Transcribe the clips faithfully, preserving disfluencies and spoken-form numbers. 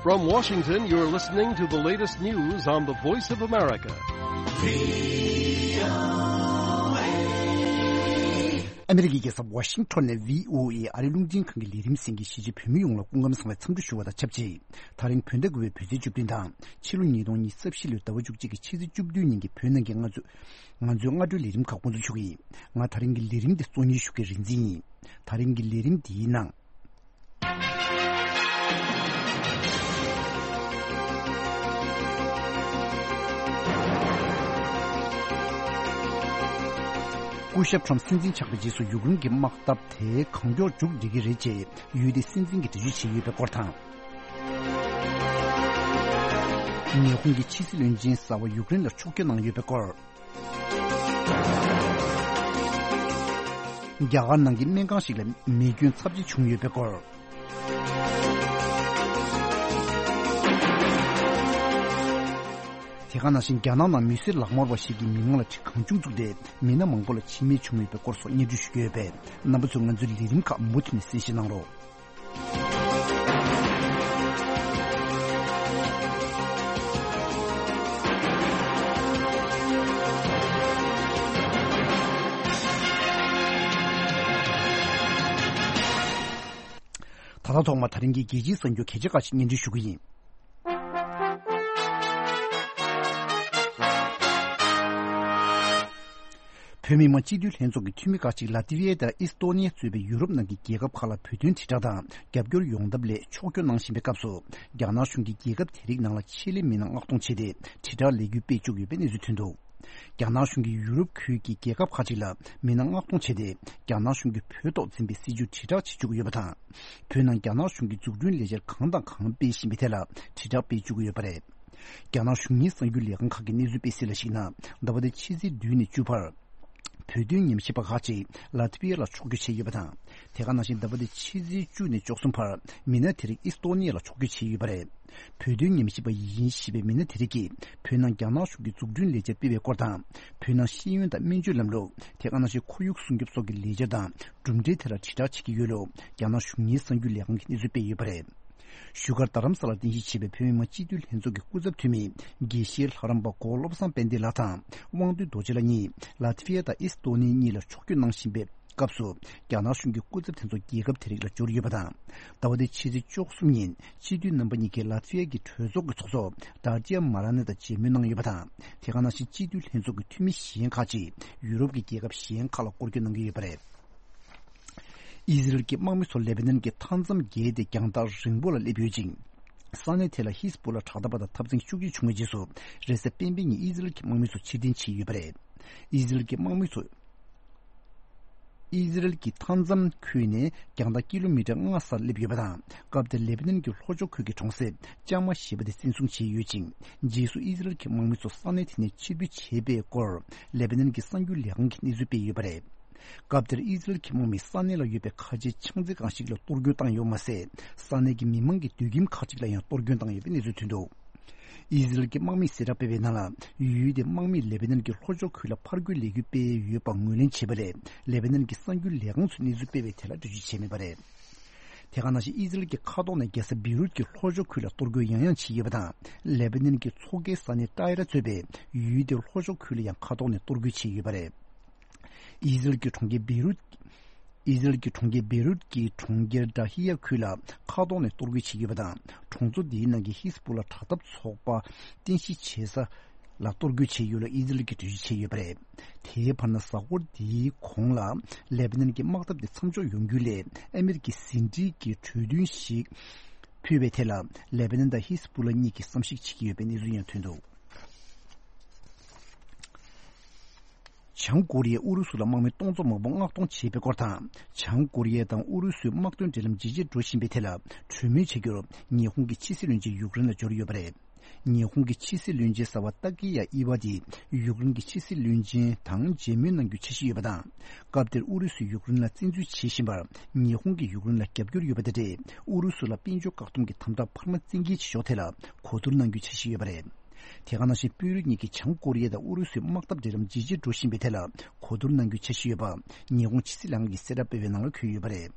From Washington, you're listening to the latest news on the Voice of America. ཨ་མི་རི་ཀའི་རྒྱལ་ས་ཝ་ཤིང་ཊོན་ནས་བྷི་ཨོ་ཨེ་ཨ་རིའི་རླུང་འཕྲིན་ཁང་གི་ལས་རིམ་གསན་མཁན་གཞིས་བྱེས་བོད་མི་ཡོངས་ལ་སྐུ་ཁམས་བཟང་བའི་འཚམས་འདྲི་ཞུ་བ་དང་ཆབས་ཅིག་ད་རིང་བོད་ཟླ་དགུ་པའི་བོད་ཚེས་བཅུ་བདུན་དང་ཕྱི་ལོ་ཉིས་སྟོང་ཉི་ཤུ་རྩ་བཞི་ལོའི་ཟླ་བ་བཅུ་གཅིག་གི་ཕྱི་ཚེས་བཅུ་བདུན་ཉིན་གྱི་བོད་ནང་གི་ང་ཚོ་ང་ཚོའི་སྔ་དྲོའི་ལས་རིམ་ཁག་འགོ་འཛུགས་ཞུ་གི་ཡིན། ང་ད་རིང་གི་ལས་རིམ་འདི་གཙོ་གཉེར་ཞུ་མཁན་རིག་འཛིན་ཡིན། ད་རིང་གི་ལས་རིམ་འདིའི་ནང་། སྐུ་ཞབས་ཁྲོམ་སྲིད་འཛིན་ཆགས་པའི་རྗེས་སུ་ཡུཀ་རེན་གྱི་དམག་འཐབ་དེ་གང་མགྱོགས་མཇུག་སྒྲིལ་གྱི་རེད་ཅེས་ཡུལ་དེའི་སྲིད་འཛིན་གྱིས་འགྲེལ་བརྗོད་བྱས་ཡོད་པའི་སྐོར་དང་། ཉི་ཧོང་གི་ཕྱི་སྲིད་བློན་ཆེན་གསར་པ་ཡུཀ་རེན་ལ་ཕྱོགས་བསྐྱོད་གནང་ཡོད་པའི་སྐོར། རྒྱ་གར་ནང་གི་སྨན་ཁང་ཞིག་ལ་མེ་སྐྱོན་ཚབས་ཆེ་བྱུང་ཡོད་པའི་སྐོར། དེ་ག་ནང་བཞིན་རྒྱ་ནག་ནང་མི་སེར་ལག་དམར་བ་ཞིག་གི་མི་ངག་ལ་གྲི་གང་བྱུང་བཙུགས་ཏེ་མི་སྣ་མང་པོ་ལ་འཆི་རྨས་བྱུང་ཡོད་པའི་སྐོར་སོགས་སྙན་སྒྲོན་ཞུ་གི་ཡོད་པས། རྣམ་པ་ཚོས་ང་ཚོའི་ལས་རིམ་ཁག་མུ་མཐུད་ནས་གསན་བཞེས་གནང་རོགས། ད་ལྟ་ཐོག་མར་ད་རིང་གི་རྒྱལ་སྤྱིའི་གསར་འགྱུར་གལ་ཆེ་ཁག་ཅིག་སྙན་སྒྲོན་ཞུ་གི་ཡིན། བོད་མི་མང་སྤྱི་འཐུས་ལྷན་ཚོགས་ཀྱི་འཐུས་མི་ཁག་ཅིག་ལ་ཏི་ཝི་ཡ་དང་ཨིས་ཏོ་ནི་ཡ་གཙོས་པའི་ཡུ་རོབ་ནང་གི་རྒྱལ་ཁབ་ཁག་ལ་བོད་དོན་དྲིལ་བསྒྲགས་དང་རྒྱབ་སྐྱོར་ཡོང་ཐབས་སླད་ཕྱོགས་བསྐྱོད་གནང་བཞིན་པའི་སྐབས་སུ། རྒྱ་ནག་གཞུང་གིས་རྒྱལ་ཁབ་དེ་རིགས་ནང་ལ་ཆེད་ལས་མི་སྣ་མངགས་གཏོང་བྱས་ཏེ་དྲིལ་བསྒྲགས་ལས་འགུལ་སྤེལ་བཅུག་ཡོད་པའི་གནས་ཚུལ་ཐོན་འདུག་རྒྱ་ནག་གཞུང་གིས་ཡུ་རོབ་ཁུལ་གྱི་རྒྱལ་ཁབ་ཁག་ཅིག་ལ་མི་སྣ་མངགས་གཏོང་བྱས་ཏེ། རྒྱ་ནག་གཞུང་གིས་བོད་ཐོག་འཛིན་པའི་སྲིད་བྱུས་དྲིལ་བསྒྲགས་བྱེད་བཅུག་ཡོད་པ་དང་། བོད་ནང་རྒྱ་ནག་གཞུང་གིས་འཛུགས་སྐྲུན་ལས་འཆར་གང་དང་གང་སྤེལ་བཞིན་པའི་ཐད་ལ་དྲིལ་བསྒྲགས་སྤེལ་བཅུག་གི་ཡོད་པ་རེད། རྒྱ་ནག་གཞུང་གཉེར་གསར་འགྱུར་ལས་ཁང་ཁག་གིས་གནས་ཚུལ་སྤེལ་གསལ་ལ་གཞིགས་ན། ཟླ་བ་འདིའི་ཕྱི་ཚེས་བདུན་ནས་བཅུ་བར། བོད་དོན་ཉམས་ཞིབ་པ་ཁག་ཅིག་ལ་ཏི་ཝི་ཡ་ལ་ཕྱོགས་བསྐྱོད་བྱས་ཡོད་པ་དང་། དེ་ག་ནང་བཞིན་ཟླ་བ་འདིའི་ཕྱི་ཚེས་བཅུ་ནས་བཅུ་གསུམ་བར་མི་སྣ་དེ་རིགས་ཨིས་ཏོ་ནི་ཡ་ལ་ཕྱོགས་བསྐྱོད་བྱས་ཡོད་པ་རེད། བོད་དོན་ཉམས་ཞིབ་པ་ཡིན་ཞེས་པའི་མི་སྣ་དེ་རིགས་ཀྱིས་བོད་ནང་རྒྱ་ནག་གཞུང་གིས་འཛུགས་སྐྲུན་ལས་འཆར་སྤེལ་བའི་སྐོར་དང་། བོད་ནང་ཤེས་ཡོན་དང་སྨན་བཅོས་ལམ་ལུགས། དེ་ག་ནང་བཞིན་ཁོར་ཡུག་སྲུང་སྐྱོབ་སོགས་ཀྱི་ལས་འཆར་དང་གྲུབ་འབྲས་དེ་ལ་དྲིལ་བསྒྲགས་བྱེད་ཀྱི་ཡོད་ལུགས་རྒྱ་ནག་གཞུང་གཉེར་གསར་འགྱུར་ལས་ཁང་གིས་གནས་ཚུལ་སྤེལ་ཡོད་པ་རེད། བཞུགས་སྒར་རྡ་རམ་ས་ལར་རྟེན་གཞི་བྱས་པའི་བོད་མི་མང་སྤྱི་འཐུས་ལྷན་ཚོགས་ཀྱི་སྐུ་ཚབ་འཐུས་མི་དགེ་བཤེས་ལྷ་རམས་པ་གོ་བློ་བཟང་དཔལ་ལྡན་ལགས་དང་དབང་འདུས་རྡོ་རྗེ་ལགས་གཉིས་ལ་ཏི་ཝི་ཡ་དང་ཨིས་ཏོ་ནི་གཉིས་ལ་ཕྱོགས་བསྐྱོད་གནང་བཞིན་པའི་སྐབས་སུ། རྒྱ་ནག་གཞུང་གི་སྐུ་ཚབ་དེ་ཚོ་རྒྱལ་ཁབ་དེ་རིགས་ལ་འབྱོར་ཡོད་པ་དང་། ཟླ་བ་འདིའི་ཕྱི་ཚེས་བཅུ་གསུམ་ཉིན་སྤྱི་འཐུས་རྣམ་པ་གཉིས་ཀས་ལ་ཏི་ཝི་ཡ་གི་གྲོས་ཚོགས་ཀྱི་ཚོགས་གཙོ་ཌར་ཏི་ཡ་མ་ར་ནེ་དང་མཇལ་མོལ་གནང་ཡོད་པ་དང་། དེ་ག་ནང་བཞིན་སྤྱི་འཐུས་ལྷན་ཚོགས་ཀྱི་འཐུས་མི་གཞན་ཁག་ཅིག་ཡུ་རོབ་ཀྱི་རྒྱལ་ཁབ་གཞན་ཁག་ལ་སྐོར་སྐྱོད་གནང་གི་ཡོད་པ་རེད། ཨི་ཟི་རལ་གྱི་དམག་མི་ཚོ་ལེ་བྷ་ནན་གྱི་མཐའ་མཚམས་བརྒལ་ཏེ་རྒྱང་ཐག་རིང་པོ་ལ་སླེབས་ཡོད་ཅིང་། ས་གནས་དེ་ལ་ཧིས་པུ་ལ་དྲག་འཐབ་པ་དང་འཐབ་འཛིང་ཤུགས་ཆེ་བྱུང་བའི་རྗེས་སུ། རེས་གཟའ་སྤེན་པའི་ཉིན་ཨི་ཟི་རལ་གྱི་དམག་མི་ཚོ་ཕྱིར་འཐེན་བྱས་ཡོད་པ་རེད། ཨི་ཟི་རལ་གྱི་དམག་མི་ཚོ། ཨི་ཟི་རལ་གྱི་མཐའ་མཚམས་ཁུལ་ནས་རྒྱང་ཐག་ཀི་ལོ་མི་ཊར་ལྔ་སར་སླེབས་ཡོད་པ་དང་། སྐབས་དེར་ལེ་བྷ་ནན་གྱི་ལྷོ་ཕྱོགས་ཁུལ་གྱི་གྲོང་གསེབ་ལྕང་མ་ཞེས་པ་དེ་བཙན་བཟུང་བྱས་ཡོད་ཅིང་། རྗེས་སུ་ཨི་ཟི་རལ་གྱི་དམག་མི་ཚོ་ས་གནས་དེ་ནས་ཕྱིར་འབུད་བྱས་པའི་སྐོར་ལེ་བྷ་ནན་གྱི་གསར་འགྱུར་ལས་ཁང་གིས་གནས་ཚུལ་སྤེལ་ཡོད་པ་རེད། སྐབས་དེར་ཨི་ཟི་རལ་གྱི་དམག་མིས་ས་གནས་ལ་ཡོད་པའི་ཁ་ཆེའི་ཆང་རྩེད་ཁང་ཞིག་ལ་གཏོར་རྒོལ་བཏང་ཡོད་མ་ཟད། ས་གནས་ཀྱི་མི་མང་གི་སྡོད་ཁྱིམ་ཁག་ཅིག་ལ་ཡང་གཏོར་སྐྱོན་བཏང་ཡོད་པའི་གནས་ཚུལ་ཐོན་འདུག་ཨི་ཟི་རལ་གྱི་དམག་མིས་གསལ་བསྒྲགས་སྤེལ་བའི་ནང་ལ། ཡུལ་དེའི་དམག་མིས་ལེ་བྷ་ནན་གྱི་ལྷོ་ཕྱོགས་ཁུལ་ལ་ཕར་རྒོལ་ལས་འགུལ་སྤེལ་ཡོད་པ་ངོས་ལེན་བྱས་པ་ལས། ལེ་བྷ་ནན་གྱི་གསར་འགྱུར་ལས་ཁང་ཚོས་གནས་ཚུལ་སྤེལ་བའི་དེ་ལ་འགྲེལ་བརྗོད་བྱས་མེད་པ་རེད། དེ་ག་ནང་བཞིན་ཨི་ཟི་རལ་གྱི་མཁའ་ཐོག་ནས་རྒྱལ་ས་བེ་རུད་ཀྱི་ལྷོ་ཕྱོགས་ཁུལ་ལ་གཏོར་རྒོལ་ཡང་ཡང་བྱས་ཡོད་པ་དང་། ལེ་བྷ་ནན་གྱི་མཚོ་ཁའི་ས་གནས་ཏཱི་ར་གཙོས་པའི་ཡུལ་དེའི་ལྷོ་ཕྱོགས་ཁུལ་ལ་ཡང་མཁའ་ཐོག་ནས་གཏོར་རྒོལ་བྱས་ཡོད་པ་རེད། ཨི་ཟི་རལ་གྱི་གྲོང་ཁྱེར་བེ་རུད། ཨི་ཟི་རལ་གྱི་གྲོང་ཁྱེར་བེ་རུད་ཀྱི་གྲོང་ཁྱེར་ཌ་ཧི་ཡ་ཁུལ་ལ་མཁའ་ཐོག་ནས་གཏོར་རྒོལ་བྱས་ཡོད་པ་དང་། གྲོང་ཚོ་འདིའི་ནང་གི་ཧིས་པུ་ལ་དྲག་འཐབ་ཚོགས་པ་རྟེན་གཞི་བྱེད་ས་ལ་གཏོར་རྒོལ་བྱས་ཡོད་ལུགས་ཨི་ཟི་རལ་གྱིས་འགྲེལ་བརྗོད་བྱས་ཡོད་པ་རེད། དེའི་བར་ན་གཟའ་འཁོར་འདིའི་གོང་ལ་ལེ་བྷ་ནན་གྱི་དམག་འཐབ་དེ་མཚམས་འཇོག་ཡོང་རྒྱུ་སླད་ཨ་མི་རི་ཀས་ཟིན་བྲིས་ཀྱི་གྲོས་མཐུན་ཞིག་ཕུལ་བའི་ཐད་ལ་ལེ་བྷ་ནན་དང་ཧིས་པུ་ལ་གཉིས་ཀྱིས་བསམ་གཞིག་བྱེད་ཀྱི་ཡོད་པའི་གནས་ཚུལ་ཡང་ཐོན་འདུག་བྱང་ཀོ་རི་ཡས་ཨུ་རུ་སུ་ལ་དམག་མི་སྟོང་ཚོ་མང་པོ་མངགས་གཏོང་བྱས་པའི་སྐོར་དང་། བྱང་ཀོ་རི་ཡ་དང་ཨུ་རུ་སུའི་དམག་དོན་འབྲེལ་ལམ་ཇེ་ཆེར་འགྲོ་བཞིན་པའི་ཐད་ལ་གྲོས་མོལ་བྱ་རྒྱུར་ཉི་ཧོང་གི་ཕྱི་སྲིད་བློན་ཆེན་ཡུཀ་རེན་ལ་འབྱོར་ཡོད་པ་རེད། ཉི་ཧོང་གི་ཕྱི་སྲིད་བློན་ཆེན་གསར་པ་ཏཱ་ཀི་ཡ་ཨི་ཝ་དེས་ཡུཀ་རེན་གྱི་ཕྱི་སྲིད་བློན་ཆེན་དང་མཇལ་མོལ་གནང་རྒྱུའི་འཆར་གཞི་ཡོད་པ་དང་། སྐབས་དེར་ཨུ་རུ་སུས་ཡུཀ་རེན་ལ་བཙན་འཛུལ་བྱེད་བཞིན་པར་ཉི་ཧོང་གིས་ཡུཀ་རེན་ལ་རྒྱབ་སྐྱོར་ཡོད་པ་དེ་འདྲས་ཨུ་རུ་སུ་ལ་དཔལ་འབྱོར་བཀག་སྡོམ་གྱི་དམ་དྲག་འཕར་མ་བཙན་འགེལ་བྱེད་ཕྱོགས་ཐད་ལ་གོ་བསྡུར་གནང་རྒྱུའི་འཆར་གཞི་ཡོད་པ་རེད། དེ་ག་ནང་བཞིན་དཔོན་རིགས་གཉིས་ཀྱིས་བྱང་ཀོ་རི་ཡ་དང་ཨུ་རུ་སུའི་དམག་འཐབ་འབྲེལ་ལམ་ཇེ་ཆེར་འགྲོ་བཞིན་པའི་ཐད་ལ་གོ་བསྡུར་གནང་རྒྱུའི་འཆར་གཞི་ཡོད་པ་ཉི་ཧོང་ཕྱི་སྲིད་ལྷན་ཁང་གིས་གསལ་བསྒྲགས་སྤེལ་བའི་ནང་ལ་འཁོད་ཡོད་པ་རེད།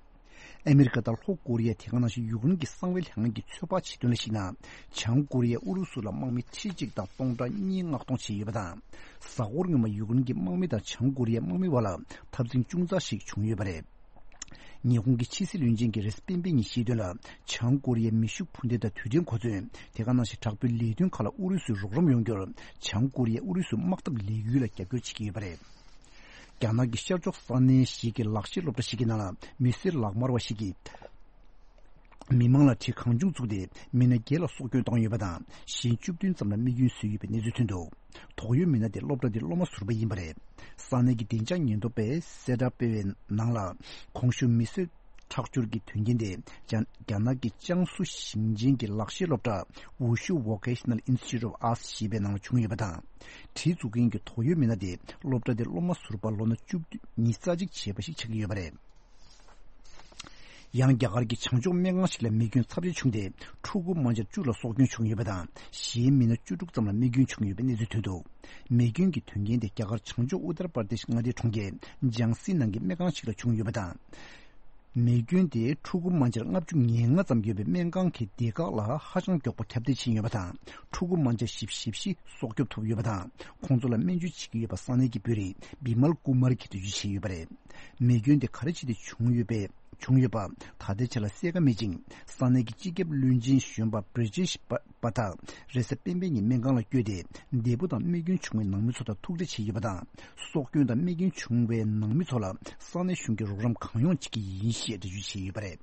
ཨ་མི་རི་ཀ་དང་ལྷོ་ཀོ་རི་ཡ། དེ་ག་ནང་བཞིན་ཡུཀ་རེན་གྱི་གསང་བའི་ལྷན་ཁང་གིས་ཚོད་དཔག་བྱེད་དོན་ལ་གཞིགས་ན། བྱང་ཀོ་རི་ཡས་ཨུ་རུ་སུ་ལ་དམག་མི་ཁྲི་གཅིག་དང་སྟོང་ཕྲག་གཉིས་མངགས་གཏོང་བྱས་ཡོད་པ་དང་། གཟའ་འཁོར་སྔོན་མ་ཡུཀ་རེན་གྱི་དམག་མི་དང་བྱང་ཀོ་རི་ཡའི་དམག་མི་བར་ལ་འཐབ་འཛིང་ཅུང་ཙག་ཞིག་བྱུང་ཡོད་པ་རེད། ཉི་ཧོང་གི་ཕྱི་སྲིད་བློན་ཆེན་གྱིས་རེས་གཟའ་སྤེན་པའི་ཉིན་བཤད་དོན་ལ། བྱང་ཀོ་རི་ཡའི་མེ་ཤུགས་འཕུར་མདེལ་དང་རྡུལ་ཕྲན་གོ་མཚོན། དེ་ག་ནང་བཞིན་དྲག་པོའི་ལས་དོན་ཁག་ལ་ཨུ་རུ་སུས་རོགས་རམ་ཡོང་རྒྱུར། བྱང་ཀོ་རི་ཡས་ཨུ་རུ་སུའི་དམག་འཐབ་ལས་འགུལ་ལ་རྒྱབ་སྐྱོར་བྱེད་ཀྱི་ཡོད་པ་རེད། རྒྱ་ནག་གི་ཤར་ཕྱོགས་ས་གནས་ཤིག་གི་ལག་ཤེས་སློབ་གྲྭ་ཞིག་གི་ནང་ལ་མི་སེར་ལག་དམར་བ་ཞིག་གིས། མི་མང་ལ་གྲི་གང་བྱུང་བཙུགས་ཏེ། མི་སྣ་བརྒྱད་ལ་སྲོག་སྐྱོན་བཏང་ཡོད་པ་དང་། གཞན་བཅུ་བདུན་ཙམ་ལ་རྨས་སྐྱོན་བཟོས་ཡོད་པའི་གནས་ཚུལ་ཐོན་འདུག་དོགས་ཡོད་མི་སྣ་དེ་སློབ་གྲྭ་དེའི་སློབ་མ་ཟུར་པ་ཡིན་པ་རེད། ས་གནས་ཀྱི་བདེ་འཇགས་ཉེན་རྟོག་པས་གསལ་བསྒྲགས་སྤེལ་བའི་ནང་ལ། གོང་ཞུས་མི་གསོད་ཁྲག་སྦྱོར་གྱི་དོན་རྐྱེན་དེ། རྒྱ་རྒྱ་ནག་གི་ཅང་སུ་ཞིང་ཆེན་གྱི་ལག་ཤེས་སློབ་གྲྭ་Wushu Vocational Institute of Arts ཞེས་པའི་ནང་ལ་བྱུང་ཡོད་པ་དང་། གྲི་འཛུགས་མཁན་གྱི་དོགས་ཡོད་མི་སྣ་དེ་སློབ་གྲྭ་དེའི་སློབ་མ་ཟུར་པ་ལོ་ན་བཅུ་བདུན་ཉི་ཤུ་རྩ་གཅིག་བྱས་པ་ཞིག་ཆགས་ཀྱི་ཡོད་པ་རེད། ཡང་རྒྱ་གར་གྱི་བྱང་ཕྱོགས་སྨན་ཁང་ཞིག་ལ་མེ་སྐྱོན་ཚབས་ཆེ་བྱུང་སྟེ། ཕྲུ་གུ་དམར་འབྱར་བཅུ་ལ་སྲོག་སྐྱོན་བྱུང་ཡོད་པ་དང་། གཞན་མི་སྣ་བཅུ་དྲུག་ཙམ་ལ་རྨས་སྐྱོན་བྱུང་ཡོད་པའི་གནས་ཚུལ་ཐོན་འདུག་མེ་སྐྱོན་གྱི་དོན་རྐྱེན་དེ་རྒྱ་གར་བྱང་ཕྱོགས་ཨུ་ཏར་པར་དེཤ་མངའ་སྡེའི་གྲོང་ཁྱེར་ཇང་སིའི་ནང་གི་སྨན་ཁང་ཞིག་ལ་བྱུང་ཡོད་པ་དང་། མེ་སྐྱོན་དེས་ཕྲུ་གུ་དམར་འབྱར་ལྔ་བཅུ་ང་ལྔ་ཙམ་ཡོད་པའི་སྨན་ཁང་གི་སྡེ་ཁག་ལ་ཧ་ཅང་མགྱོགས་པོ་ཁྱབ་གདལ་ཕྱིན་ཡོད་པ་དང་། ཕྲུ་གུ་དམར་འབྱར་བཞི་བཅུ་ཞེ་བཞི་སྲོག་སྐྱོབ་ཐུབ་ཡོད་པ་དང་། ཁོང་ཚོ་ལ་སྨན་བཅོས་བྱེད་ཀྱི་ཡོད་པ་ས་གནས་ཀྱི་དཔོན་རིགས་བི་མལ་ཀུ་མར་གྱིས་འགྲེལ་བརྗོད་བྱས་ཡོད་པ་རེད། མེ་སྐྱོན་དེ་ག་རེ་བྱས་ཏེ་བྱུང་ཡོད་པས། བྱུང་ཡོད་པ་ད་ལྟའི་ཆར་ལ་གསལ་ཁ་མེད་ཅིང་། ས་གནས་ཀྱི་སྤྱི་ཁྱབ་བློན་ཆེན་གཞོན་པ་བྷི་རི་ཇེཤ་པ་པ་ཐག་རེས་གཟའ་སྤེན་པའི་ཉིན་སྨན་ཁང་ལ་བསྐྱོད་དེ། འདས་པོ་དང་རྨས་སྐྱོན་བྱུང་བའི་ནང་མི་ཚོ་དང་ཐུག་འཕྲད་བྱས་ཡོད་པ་དང་། སྲོག་སྐྱོན་དང་རྨས་སྐྱོན་བྱུང་བའི་ནང་མི་ཚོ་ལ་ས་གནས་གཞུང་གིས་རོགས་རམ་གང་ཡོང་བྱེད་ཀྱི་ཡིན་ཞེས་འགྲེལ་བརྗོད་བྱས་ཡོད་པ་རེད།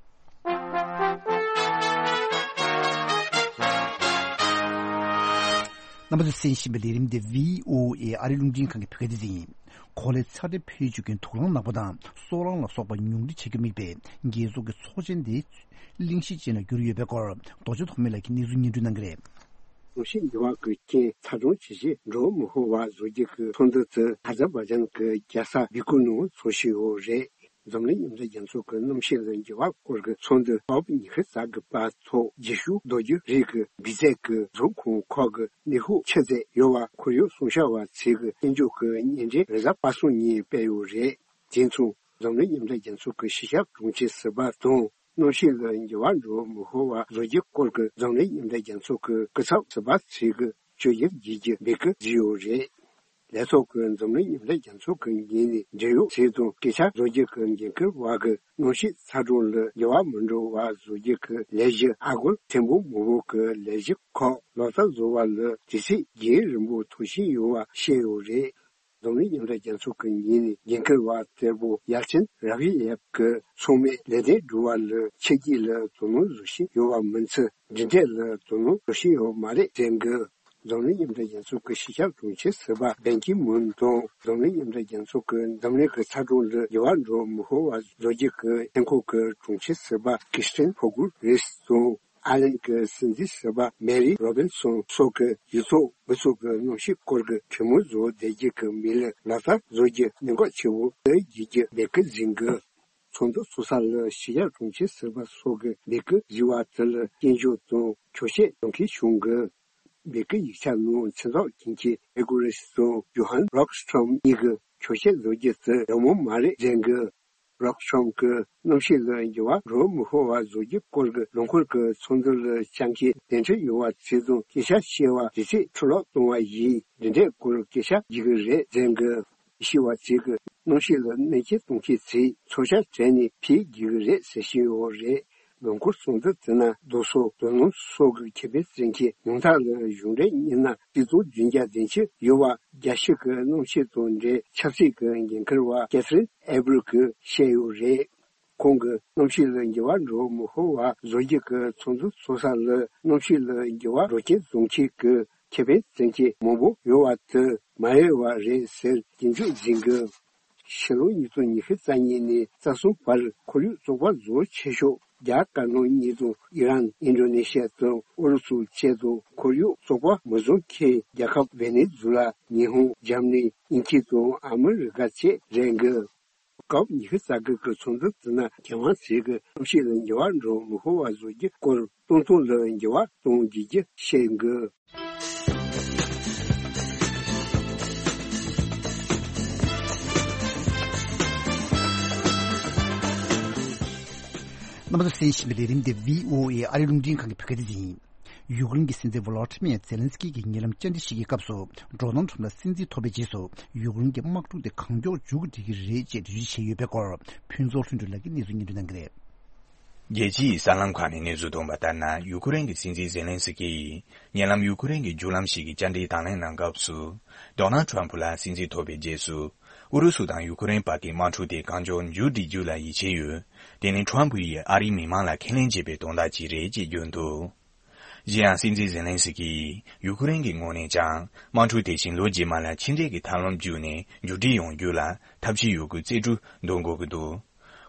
རྣམ་པ་ཚོས་གསན་བཞིན་པའི་ལས་རིམ་འདི་བྷི་ཨོ་ཨེ་ཨ་རིའི་རླུང་འཕྲིན་ཁང་གི་བོད་སྐད་སྡེ་ཚན་ཡིན། གོ་ལའི་ཚ་དྲོད་འཕེལ་འགྱུར་གྱི་དུག་རླངས་ནག་པོ་དང་སོལ་རླངས་ལ་སོགས་པ་ཉུང་འཕྲི་བྱེད་རྒྱུར་དམིགས་པའི་རྒྱལ་ཚོགས་ཀྱི་ཚོགས་ཆེན་འདི་གླེང་གཞི་ཅན་ལ་གྱུར་ཡོད་པའི་སྐོར། རྡོ་རྗེ་ཐོགས་མེད་ལགས་ཀྱིས་གནས་ཚུལ་སྙན་སྒྲོན་གནང་གི་རེད། གནམ་གཤིས་འགྱུར་བ་གི་རྐྱེན་ཚ་གྲང་ཇེ་ཆེར་འགྲོ་མི་ཧོ་བ་བཟོ་རྒྱུ་གི་ཚོགས་འདུ་དེ་ཨ་ཛར་བྷ་ཇན་གྱི་རྒྱལ་ས་བྷེ་ཀུ་ནང་འཚོགས་བཞིན་ཡོད་རེད། འཛམ་གླིང་མཉམ་འབྲེལ་རྒྱལ་ཚོགས་ཀྱི་གནམ་གཤིས་ལ་འགྱུར་བ་སྐོར་གྱི་ཚོགས་འདུ་ཀོབ་ཉི་ཤུ་རྩ་དགུ་པ་ཐོག་རྗེས་ཤུལ་རྡོ་རྗེ་རིགས་ཀྱི་འབིས་རྫས་ཀྱི་རྫོང་ཁོངས་ཁག་གི་ནུས་ཤུགས་ཆེ་ཚད་ཡོད་པ་ཁོར་ཡུག་སྲུང་སྐྱོབ་པ་ཚོས་ཀྱི་གཏན་འཇགས་ཀྱི་བརྙན་འཕྲིན་རེས་གཟའ་པ་སངས་ཉིན་སྤེལ་ཡོད་རེད། དེ་མཚུངས་འཛམ་གླིང་མཉམ་འབྲེལ་རྒྱལ་ཚོགས་ཀྱི་གཞིས་ཆགས་དྲུང་ཆེ་ཟུར་པ་དང་། གནམ་གཤིས་ལ་འགྱུར་བ་འགྲོ་མི་ཧོ་བ་བཟོ་རྒྱུའི་སྐོར་གྱི་འཛམ་གླིང་མཉམ་འབྲེལ་རྒྱལ་ཚོགས་ཀྱི་སྐུ་ཚབ་ཟུར་པ་ཚོས་ཀྱི་བརྗོད་གཞིར་བརྒྱུད་ཀྱི་འབོད་སྐུལ་བྱས་ཡོད་རེད། ལས་ཐོག་གི་འཛམ་གླིང་མཉམ་འབྲེལ་རྒྱལ་ཚོགས་ཀྱི་ངོས་ནས་འབྲེལ་ཡོད་ཚོགས་དང་སྐད་ཆ་བཟོ་རྒྱུ་གི་འགན་འཁུར་བ་གི་གནམ་གཤིས་ཚ་གྲང་ལ་འགྱུར་བ་མི་འགྲོ་བ་བཟོ་རྒྱུ་གི་ལས་གཞི་ཨ་སྒོར་ཐེར་འབུམ་མང་པོ་གི་ལས་གཞི་ཁག་ལག་བསྟར་བཟོ་བ་ལ་དུས་ཚོད་རྒྱུན་རིང་པོ་ཐོགས་བཞིན་ཡོད་པ་བཤད་ཡོད་རེད། འཛམ་གླིང་མཉམ་འབྲེལ་རྒྱལ་ཚོགས་ཀྱི་ངོས་ནས་འགན་འཁུར་བ་གཙོ་བོ་ཡལ་ཅིན་ར་ཝི་ཡེབ་ཀྱིས་ཚང་མས་ལས་དོན་སྒྲུབ་པ་ལ་ཕྱི་རྒྱལ་ལ་དོ་སྣང་བཟོ་བཞིན་ཡོད་པ་མིན་ཚེ་འབྲེལ་འདྲིས་ལ་དོ་སྣང་བཟོ་བཞིན་ཡོད་མ་རེད་ཟེར་གི། འཛམ་གླིང་མཉམ་འབྲེལ་རྒྱལ་ཚོགས་ཀྱི་གཞིས་ཆགས་དྲུང་ཆེ་ཟུར་པ་བན་ཀི་མུན་དང་འཛམ་གླིང་མཉམ་འབྲེལ་རྒྱལ་ཚོགས་ཀྱི་འཛམ་གླིང་གི་ཚ་གྲང་ལ་འགྱུར་བ་འགྲོ་མི་ཧོ་བ་བཟོ་རྒྱུ་གི་ལྷན་ཁང་གི་དྲུང་ཆེ་ཟུར་པ་ཀི་སི་ཏིན་ཕོ་གུ་རེས་དང་། ཨ་ལན་གྱི་སྲིད་འཛིན་ཟུར་པ་མེ་རི་རོ་བིན་སོན་སོགས་ཀྱིས་ཡུལ་ཐོག་མི་ཚོ་གི་གནམ་གཤིས་སྐོར་གྱི་གྲོས་མོལ་བཟོ་བསྡད་རྒྱུ་གི་མི་ལུས་ལག་བསྟར་བཟོ་རྒྱུ་གནད་འགག་ཆེ་བོ་དེ་བརྒྱུད་རྒྱུ་འབོད་སྐུལ་ཟིན་གི། ཚོགས་འདུ་ཚོགས་ས་ལ་གཞིས་ཆགས་དྲུང་ཆེ་ཟུར་པ་སོགས་ཀྱིས་འབོད་སྐུལ་བཟོས་པ་དེ་ལ་སྐྱོན་བརྗོད་དང་འཁྱོག་བཤད་གཏོང་མཁན་བྱུང་གི། འབོད་སྐུལ་ཡིག་ཆ་ནང་མཚན་རྟགས་ཅན་གྱི་ཨེ་གོ་རེས་དང་ཇོ་ཧན་རོག་སི་ཁྲོམ་གཉིས་ཀྱིས་འཁྱོག་བཤད་བཟོ་རྒྱུ་དེ་ཡག་མོ་མ་རེད་ཟེར་གི། རོག་སི་ཁྲོམ་གྱིས་གནམ་གཤིས་ལ་འགྱུར་བ་འགྲོ་མི་ཧོ་བ་བཟོ་རྒྱུའི་སྐོར་གྱི་ལམ་ཁུར་གྱི་ཚོགས་འདུ་ལ་བཅར་མཁན་གདན་འདྲེན་ཡོད་པ་ཚོ་དང་སྐད་ཆ་བཤད་པ་དུས་ཚོད་འཕྲོ་བརླག་གཏོང་བ་ཡིན། འདི་འདྲའི་སྐོར་སྐད་ཆ་བརྗེ་གི་རེད་ཟེར་གི། ཤེས་པ་ཚོས་ཀྱིས་གནམ་གཤིས་ལ་གནོད་སྐྱོན་གཏོང་མཁན་ཚོས་ཚོར་ཤ་བྲལ་ནས་ཕེབས་དགོས་ཀྱི་རེད་ཟེར་བཞིན་ཡོད་རེད། ལམ་ཁུར་ཚོགས་འདུ་དེ་ནང་རྡོ་སོལ་རྡོ་སྣུམ་སོགས་ཀྱི་ཁེ་ཕན་བཙལ་མཁན་ཉུང་མཐའ་ལ་གཞུང་འབྲེལ་མི་སྣ་ཆིག་སྟོང་བདུན་བརྒྱ་དོན་གཅིག་ཡོད་པ། རྒྱལ་སྤྱི་གི་གནམ་གཤིས་དང་འབྲེལ་ཆབ་སྲིད་ཀྱི་འགན་འཁུར་བ་ཀེ་ཐི་རིན་ཨེ་བྷི་རལ་གྱིས་བཤད་ཡོད་རེད། ཁོང་གིས་གནམ་གཤིས་ལ་འགྱུར་བ་འགྲོ་མི་ཧོ་བ་བཟོ་རྒྱུ་གི་ཚོགས་འདུ་ཚོགས་ས་ལ་གནམ་གཤིས་ལ་འགྱུར་བ་འགྲོ་རྐྱེན་བཟོ་མཁན་གྱི་ཁེ་ཕན་བཙལ་མཁན་མང་པོ་ཡོད་པ་དེ་མ་ཡོད་པ་རེད་ཟེར་སྐྱོན་བརྗོད་ཟིན་གི། ཕྱི་ལོ་ཉིས་སྟོང་ཉི་ཤུ་རྩ་གཉིས་ནས་རྩ་གསུམ་བར་ཁོར་ཡུག་བཙོག་པ་བཟོ་ཆེ་ཤོས་རྒྱ་དཀར་ནག་གཉིས་དང་ཨི་རན། ཨིན་ཌོ་ནེ་ཤི་ཡ་དང་ཨུ་རུ་སུ་བཅས་དང་། ཁོར་ཡུག་བཙོག་པ་མི་བཟོ་མཁན་རྒྱལ་ཁབ་ཝེ་ནེ་ཛུ་ལ། ཉི་ཧོང་། འཇར་མ་ནི། དབྱིན་ཇི་དང་ཨ་མི་རི་ཀ་བཅས་རེད་གི། ཀོབ་ཉི་ཤུ་རྩ་དགུ་གི་ཚོགས་འདུ་དེ་ནང་མཁས་དབང་ཚོས་ཀྱིས་གནམ་གཤིས་ལ་འགྱུར་བ་འགྲོ་མི་ཧོ་བ་བཟོ་རྒྱུའི་སྐོར་སྟོང་ཐུན་ལ་འགྱུར་བ་གཏོང་དགོས་རྒྱུ་བཤད་གི། རྣམ་པ་ཚོས་གསན་བཞིན་པའི་ལས་རིམ་དེ་བྷི་ཨོ་ཨེ་ཨ་རིའི་རླུང་འཕྲིན་ཁང་གི་བོད་སྐད་སྡེ་ཚན་ཡིན། ཡུཀ་རེན་གྱི་སྲིད་འཛིན་ཝོ་ལོ་ཏི་མིར་ཛེ་ལན་སི་ཀི་གིས་ཉེ་ལམ་བཅར་འདྲི་ཞིག་གི་སྐབས་སུ། ཌོ་ནལ་ཊམ་ལ་སྲིད་འཛིན་ཐོབ་པའི་རྗེས་སུ། ཡུཀ་རེན་གྱི་དམག་འཁྲུག་དེ་གང་མགྱོགས་མཇུག་སྒྲིལ་གྱི་རེད་ཅེས་འགྲེལ་བརྗོད་བྱས་ཡོད་པའི་སྐོར། ཕུན་ཚོགས་ལྷུན་གྲུབ་ལགས་ཀྱིས་གནས་ཚུལ་སྙན་སྒྲོན་གནང་གི་རེད། རྒྱལ་སྤྱིའི་གསར་ལམ་ཁག་ནས་གནས་ཚུལ་ཐོན་པ་ལྟར་ན། ཡུ་ཁུ་རེན་གྱི་སྲིད་འཛིན་ཛེ་ལན་སི་ཀི་ཡིས་ཉེ་ལམ་ཡུ་ཁུ་རེན་གྱི་བརྒྱུད་ལམ་ཞིག་གི་བཅར་འདྲིའི་དང་ལེན་གནང་སྐབས་སུ། ཌོ་ནལ་ཊམ་ལ་སྲིད་འཛིན་ཐོབ་པའི་རྗེས་སུ། ཨུ་རུ་སུ་དང་ཡུ་ཁུ་རེན་བར་གྱི་དམག་འཁྲུག་དེ་གང་མགྱོགས་མཇུག་སྒྲིལ་རྒྱུ་ལ་ཡིད་ཆེས་ཡོད། དེ་ནི་ཊམ་ཡིས་ཨ་རིའི་མི་མང་ལ་ཁས་ལེན་བྱས་པའི་དོན་དག་ཅིག་རེད་ཅེས་བརྗོད་འདུག། གཞན་ཡང་སྲིད་འཛིན་ཛེ་ལན་སི་ཀི་ཡིས་ཡུ་ཁུ་རེན་གྱི་ངོས་ནས་ཀྱང་དམག་འཁྲུག་དེ་བཞིན་ལོ་རྗེས་མ་ལ་ཕྱི་འབྲེལ་གྱི་ཐབས་ལམ་བརྒྱུད་ནས་མཇུག་སྒྲིལ་ཡོང་རྒྱུ་ལ་ཐབས་ཇུས་ཡོད་རྒུ་རྩལ་སྤྲུགས་འདོན་དགོས་ཀྱི་འདུག།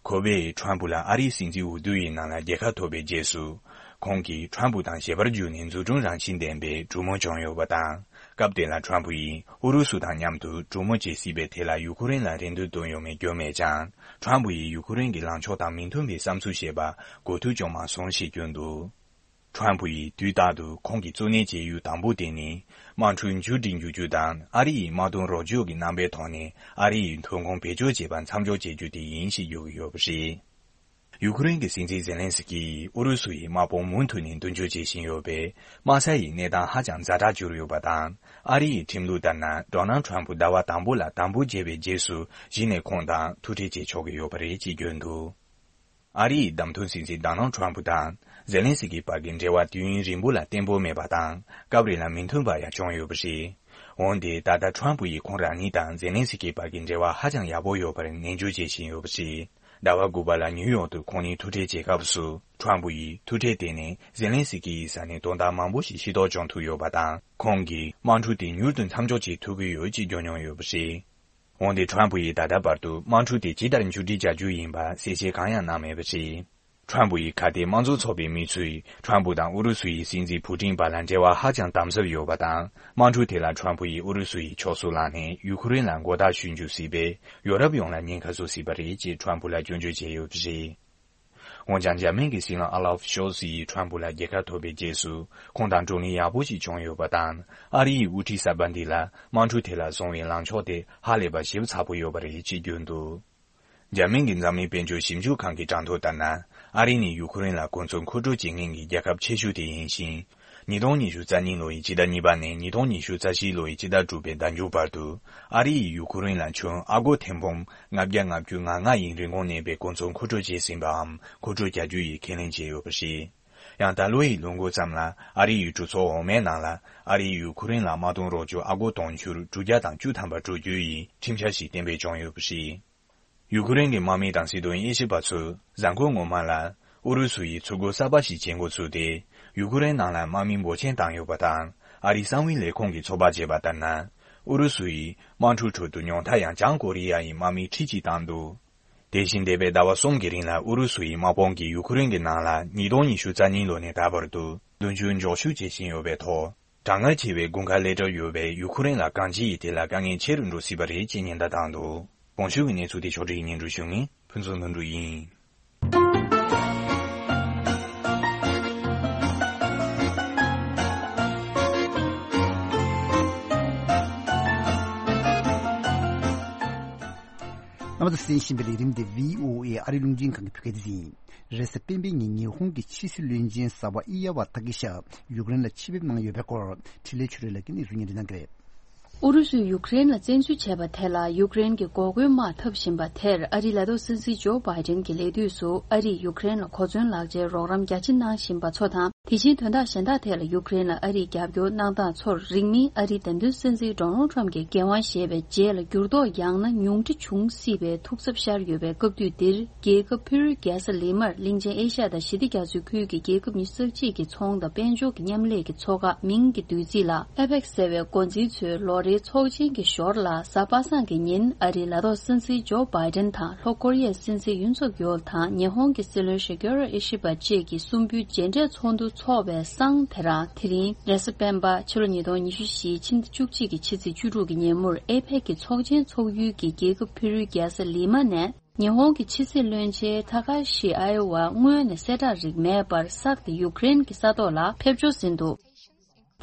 ཁོ་པས་ཊམ་ལ་ཨ་རིའི་སྲིད་འཛིན་འོས་བསྡུ་ཡི་ནང་ལ་རྒྱལ་ཁ་ཐོབ་པའི་རྗེས་སུ། ཁོང་གིས་ཊམ་དང་ཞལ་པར་བརྒྱུད་ནས་འཛུགས་སྐྲུན་རང་བཞིན་ལྡན་པའི་གྲོས་མོལ་བྱུང་ཡོད་པ་དང་། སྐབས་དེ་ལ་ཊམ་ཡིས་ཨུ་རུ་སུ་དང་མཉམ་དུ་གྲོས་མོལ་བྱེད་སྲིད་པའི་ཐད་ལ་ཡུ་ཁུ་རེན་ལ་རེ་འདུན་བཏོན་ཡོད་མེད་བརྗོད་མེད་ཀྱང་། ཊམ་ཡིས་ཡུ་ཁུ་རེན་གྱི་ལངས་ཕྱོགས་དང་མི་མཐུན་པའི་བསམ་ཚུལ་བཤད་པ་གོ་ཐོས་བྱུང་མ་སོང་ཞེས་བརྗོད་འདུག། ཊམ་ཡིས་དུས་རྟག་ཏུ་ཁོང་གི་གཙོ་གནད་བྱེད་ཡུལ་དང་པོ་དེ་ནི། དམག་འཁྲུག་མཇུག་སྒྲིལ་འགྱུར་རྒྱུ་དང་ཨ་རི་ཡི་དམག་དོན་རོགས་སྐྱོར་གྱི་རྣམ་པའི་ཐོག་ནས་ཨ་རི་ཡི་ཐོན་ཁུངས་བེད་སྤྱོད་བྱེད་པ་མཚམས་འཇོག་བྱེད་རྒྱུ་དེ་ཡིན་ཞེས་བརྗོད་ཀྱི་ཡོད་པ་རེད། ཡུ་ཁུ་རེན་གྱི་སྲིད་འཛིན་ཛེ་ལན་སི་ཀི་ཡིས་ཨུ་རུ་སུ་ཡི་དམག་དཔུང་མུ་མཐུད་ནས་མདུན་སྐྱོད་བྱེད་བཞིན་ཡོད་པས། དམག་ས་ཡི་གནས་སྟངས་ཧ་ཅང་ཛ་དྲག་གྱུར་ཡོད་པ་དང་། ཨ་རི་ཡི་ཁྲིམས་ལུགས་ལྟར་ན། ཌོ་ནལ་ཊམ་ཟླ་བ་དང་པོ་ལ་དམ་འབུལ་བརྒྱབ་པའི་རྗེས་སུ། གཞི་ནས་ཁོང་དང་ཐུག་འཕྲད་བྱེད་ཆོག་གི་ཡོད་པ་རེད་ཅེས་བརྗོད་འདུག། ཨ་རི་ཡི་བདམས་ཐོན་སྲིད་འཛིན་ཌོ་ནལ་ཊམ་དང་ཛེ་ལན་སི་ཀི་བར་གྱི་འབྲེལ་བ་དུས་ཡུན་རིང་པོ་ལ་བརྟན་པོ་མེད་པ་དང་། སྐབས་རེ་ལ་མི་མཐུན་པ་ཡང་བྱུང་ཡོད་པ་རེད། འོན་ཏེ་ད་ལྟ་ཊམ་ཡིས་ཁོང་རང་ཉིད་དང་ཛེ་ལན་སི་ཀི་བར་གྱི་འབྲེལ་བ་ཧ་ཅང་ཡག་པོ་ཡོད་པར་ནན་བརྗོད་བྱེད་བཞིན་ཡོད་པ་རེད། ཟླ་བ་དགུ་པ་ལ་ནིའུ་ཡོག་ཏུ་ཁོང་གཉིས་ཐུག་འཕྲད་བྱེད་སྐབས་སུ། ཊམ་ཡིས་ཐུག་འཕྲད་དེ་ནི་ཛེ་ལན་སི་ཀི་ཡི་ས་ནས་དོན་དག་མང་པོ་ཞིག་ཤེས་རྟོགས་བྱུང་ཐུབ་ཡོད་པ་དང་། ཁོང་གིས་དམག་འཁྲུག་དེ་མྱུར་དུ་མཚམས་འཇོག་བྱེད་ཐུབ་ཀྱི་ཡོད་ཅེས་བརྗོད་མྱོང་ཡོད་པ་རེད། འོན་ཏེ་ཊམ་ཡིས་ད་ལྟ་བར་དུ་དམག་འཁྲུག་དེ་ཇི་ལྟར་མཇུག་སྒྲིལ་བྱ་རྒྱུ་ཡིན་པ་གསལ་བཤད་གང་ཡང་གནང་མེད་པ་རེད། ཊམ་ཡི་ཁ་གཏད་དམངས་གཙོ་ཚོགས་པའི་མི་ཚོས་ཊམ་དང་ཨུ་རུ་སུ་ཡི་སྲིད་འཛིན་ཕུ་ཏིན་བར་ལ་འབྲེལ་བ་ཧ་ཅང་དམ་ཟབ་ཡོད་པ་དང་། དམག་འཁྲུག་དེ་ལ་ཊམ་ཡིས་ཨུ་རུ་སུ་ཡི་ཕྱོགས་སུ་ལངས་ནས་ཡུ་ཁུ་རེན་ལ་མགོ་བཏགས་ཞུ་འཇུག་སྲིད་པས། ཡོ་རོབ་ཡོངས་ལ་ཉེན་ཁ་བཟོ་སྲིད་པ་རེད་ཅེས་ཊམ་ལ་སྐྱོན་བརྗོད་བྱས་ཡོད་པ་རེད། འོན་ཀྱང་འཇར་མན་གྱི་སྲིད་བློན་ཨ་ལབ་ཤོལ་ཚི་ཡིས་ཊམ་ལ་རྒྱལ་ཁ་ཐོབ་པའི་རྗེས་སུ། ཁོང་དང་བགྲོ་གླེང་ཡག་པོ་ཞིག་བྱུང་ཡོད་པ་དང་། ཨ་རི་ཡི་དབུ་ཁྲིད་གསར་པ་འདི་ལ་དམག་འཁྲུག་དེ་ལ་བཟུང་བའི་ལངས་ཕྱོགས་དེ་ཧ་ལས་པ་ཞིབ་ཚགས་པོ་ཡོད་པ་རེད་ཅེས་བརྗོད་འདུག། འཇར་མན་གྱི་འཛམ་གླིང་དཔལ་འབྱོར་ཞིབ་འཇུག་ཁང་གི་གྲངས་ཐོ་ལྟར་ན། ཨ་རི་ནི་ཡུ་ཁུ་རེན་ལ་གོ་མཚོན་མཁོ་སྤྲོད་བྱེད་མཁན་གྱི་རྒྱལ་ཁབ་ཆེ་ཤོས་དེ་ཡིན་ཞིང་། ཉིས་སྟོང་ཉི་ཤུ་རྩ་གཉིས་ལོ་ཡི་སྤྱི་ཟླ་གཉིས་པ་ནས་ཉིས་སྟོང་ཉི་ཤུ་རྩ་བཞི་ལོ་ཡི་སྤྱི་ཟླ་དྲུག་པའི་ཟླ་མཇུག་བར་དུ། ཨ་རི་ཡིས་ཡུ་ཁུ་རེན་ལ་ཁྱོན་ཨ་སྒོར་ཐེར་འབུམ་ལྔ་བརྒྱ་ལྔ་བཅུ་ང་ལྔ་ཡི་རིན་གོང་གནས་པའི་གོ་མཚོན་མཁོ་སྤྲོད་བྱས་ཟིན་པའམ་མཁོ་སྤྲོད་བྱ་རྒྱུ་ཡི་ཁས་ལེན་བྱས་ཡོད་པ་རེད། ཡང་ད་ལོ་ཡི་ལོ་འགོ་ཙམ་ལ་ཨ་རི་ཡི་གྲོས་ཚོགས་འོག་མའི་ནང་ལ། ཨ་རི་ཡིས་ཡུ་ཁུ་རེན་ལ་དམག་དོན་རོགས་སྐྱོར་ཨ་སྒོར་དུང་ཕྱུར་དྲུག་བརྒྱ་དང་བཅུ་ཐམ་པ་སྤྲོད་རྒྱུ་ཡི་ཁྲིམས་འཆར་ཞིག་གཏན་འབེབས་བྱུང་ཡོད་པ་རེད། ཡུ་ཁུ་རེན་གྱི་དམག་མི་དང་སྲིད་དོན་དབྱེ་ཞིབ་པ་ཚོས་གཟའ་འཁོར་སྔོན་མ་ལ་ཨུ་རུ་སུ་ཡིས་ཚུར་རྒོལ་གསར་པ་ཞིག་བྱེད་འགོ་ཚུགས་ཏེ། ཡུ་ཁུ་རེན་ནང་ལ་དམག་མི་འབོར་ཆེན་བཏང་ཡོད་པ་དང་། ཨ་རིའི་གསང་བའི་ལས་ཁུངས་ཀྱིས་ཚོད་དཔག་བྱས་པ་ལྟར་ན། ཨུ་རུ་སུ་ཡིས་དམག་འཁྲུག་ཁྲོད་དུ་ཉུང་མཐའ་ཡང་བྱང་ཀོ་རི་ཡ་ཡི་དམག་མི་ཁྲི་གཅིག་བཏང་འདུག། དེ་བཞིན་འདས་པའི་ཟླ་བ་གསུམ་གྱི་རིང་ལ་ཨུ་རུ་སུ་ཡིས་དམག་དཔུང་གིས་ཡུ་ཁུ་རེན་གྱི་ནང་ལ་ཉིས་སྟོང་ཉི་ཤུ་རྩ་གཉིས་ལོ་ནས་ད་བར་དུ་མདུན་སྐྱོད་མགྱོགས་ཤོས་བྱེད་བཞིན་ཡོད་པའི་ཐོག། གྲང་ངར་ཆེ་བའི་དགུན་ཁ་སླེབས་གྲབས་ཡོད་པས་ཡུ་ཁུ་རེན་ལ་གང་ཅི་ཡིས་དེ་ལ་དཀའ་ངལ་ཆེ་རུ་འགྲོ་སྲིད་པ་རེད་ཅེས་ཉེན་བརྡ་བཏང་འདུག། གོང་ཞུས་ཀྱི་གནས་ཚུལ་དེ་ཕྱོགས་སྒྲིག་སྙན་སྒྲོན་ཞུ་མཁན་ཕུན་ཚོགས་ལྷུན་གྲུབ་ཡིན། རྣམ་པ་ཚོས་གསན་བཞིན་པའི་ལས་རིམ་དེ་བྷི་ཨོ་ཨེ་ཨ་རིའི་རླུང་འཕྲིན་ཁང་གི་བོད་སྐད་སྡེ་ཚན་ཡིན། རེས་གཟའ་སྤེན་པའི་ཉིན་ཉི་ཧོང་གི་ཕྱི་སྲིད་བློན་ཆེན་ཟ་བ་ཨི་ཡ་བ་ཐ་ཀི་ཤ་ཡུཀ་རེན་ལ་ཆེད་ཕེབས་གནང་ཡོད་པའི་སྐོར་འཕྲིན་ལས་ཆོས་སྒྲོན་ལགས་ཀྱིས་གནས་ཚུལ་སྙན་སྒྲོན་གནང་གི་རེད། ཨུ་རུ་སུས་ཡུཀ་རེན་ལ་བཙན་འཛུལ་བྱས་པ་དེ་ལ་ཡུཀ་རེན་གྱི་འགོག་རྒོལ་དམག་འཐབ་བཞིན་པ་དེར་ཨ་རིའི་ལས་ཐོག་སྲིད་འཛིན་ཇོ་བྷའི་ཌེན་གྱིས་ལས་དུས་སུ་ཨ་རིས་ཡུཀ་རེན་ལ་གོ་མཚོན་ལག་ཆའི་རོགས་རམ་རྒྱ་ཆེ་གནང་བཞིན་པ་ཚོ་དང་། དེ་བཞིན་དོན་དག་གཞན་དག་ཐད་ལ་ཡུཀ་རེན་ལ་ཨ་རིས་རྒྱབ་སྐྱོར་གནང་སྟངས་ཚོར་རིང་མིན་ཨ་རིའི་འདེམས་ཐོན་སྲིད་འཛིན་ཌོ་ནལ་ཊམ་གྱི་འགན་དབང་བཞེས་པའི་རྗེས་ལ་འགྱུར་ལྡོག་ཡང་ན་ཉུང་འཕྲི་འབྱུང་སྲིད་པའི་ཐུགས་འཚབ་ཤར་ཡོད་པའི་སྐབས་དུས་འདིར། རྒྱལ་ཁབ་ཕེ་རུའི་རྒྱལ་ས་ལི་མར་གླིང་ཆེན་ཨེ་ཤ་ཡ་དང་ཞི་བདེ་རྒྱ་མཚོའི་ཁུལ་གྱི་རྒྱལ་ཁབ་ཉི་ཤུ་རྩ་གཅིག་གི་ཚོང་དང་དཔལ་འབྱོར་གྱི་མཉམ་ལས་ཀྱི་ཚོགས་ཁག་མིང་གི་བསྡུས་ཚིག་ལ་ཨེ་པེག་ཟེར་བའི་འགོ་འཛིན་ཚོའི་ལོ་རེའི་ཚོགས་ཆེན་གྱི་ཞོར་ལ། གཟའ་པ་སངས་ཀྱི་ཉིན་ཨ་རིའི་ལས་ཐོག་སྲིད་འཛིན་ཇོ་བྷའི་ཌེན་དང་ལྷོ་ཀོ་རི་ཡའི་སྲིད་འཛིན་ཡུན་སུག་ཡོལ་དང་ཉི་ཧོང་གི་སྲིད་བློན་ཤི་གེ་རོ་ཨི་ཤི་བ་བཅས་ཀྱི་གསུམ་པོའི་མཇལ་འཕྲད་ཚོགས་འདུ་འཚོགས་པའི་སང་དེ་རང་དེ་རིང་རེས་གཟའ་སྤེན་པ་ཕྱི་ལོ་ཉིས་སྟོང་ཉི་ཤུ་བཞི་ཕྱི་ཟླ་བཅུ་གཅིག་གི་ཕྱི་ཚེས་བཅུ་དྲུག་གི་ཉིན་མོར་ཨེ་པེག་གི་ཚོགས་ཆེན་འཚོགས་ཡུལ་གྱི་རྒྱལ་ཁབ་ཕེ་རུའི་རྒྱལ་ས་ལི་མ་ནས། ཉི་ཧོང་གི་ཕྱི་སྲིད་བློན་ཆེན་ཐ་ཁ་ཤི་ཨ་ཡོ་ཝ་སྔོན་ནས་གསལ་བསྒྲགས་རིགས་མེད་པར་གསར་དུ་ཡུཀ་རེན་གྱི་ས་ཐོག་ལ་ཕེབས་འབྱོར་ཟིན་འདུག།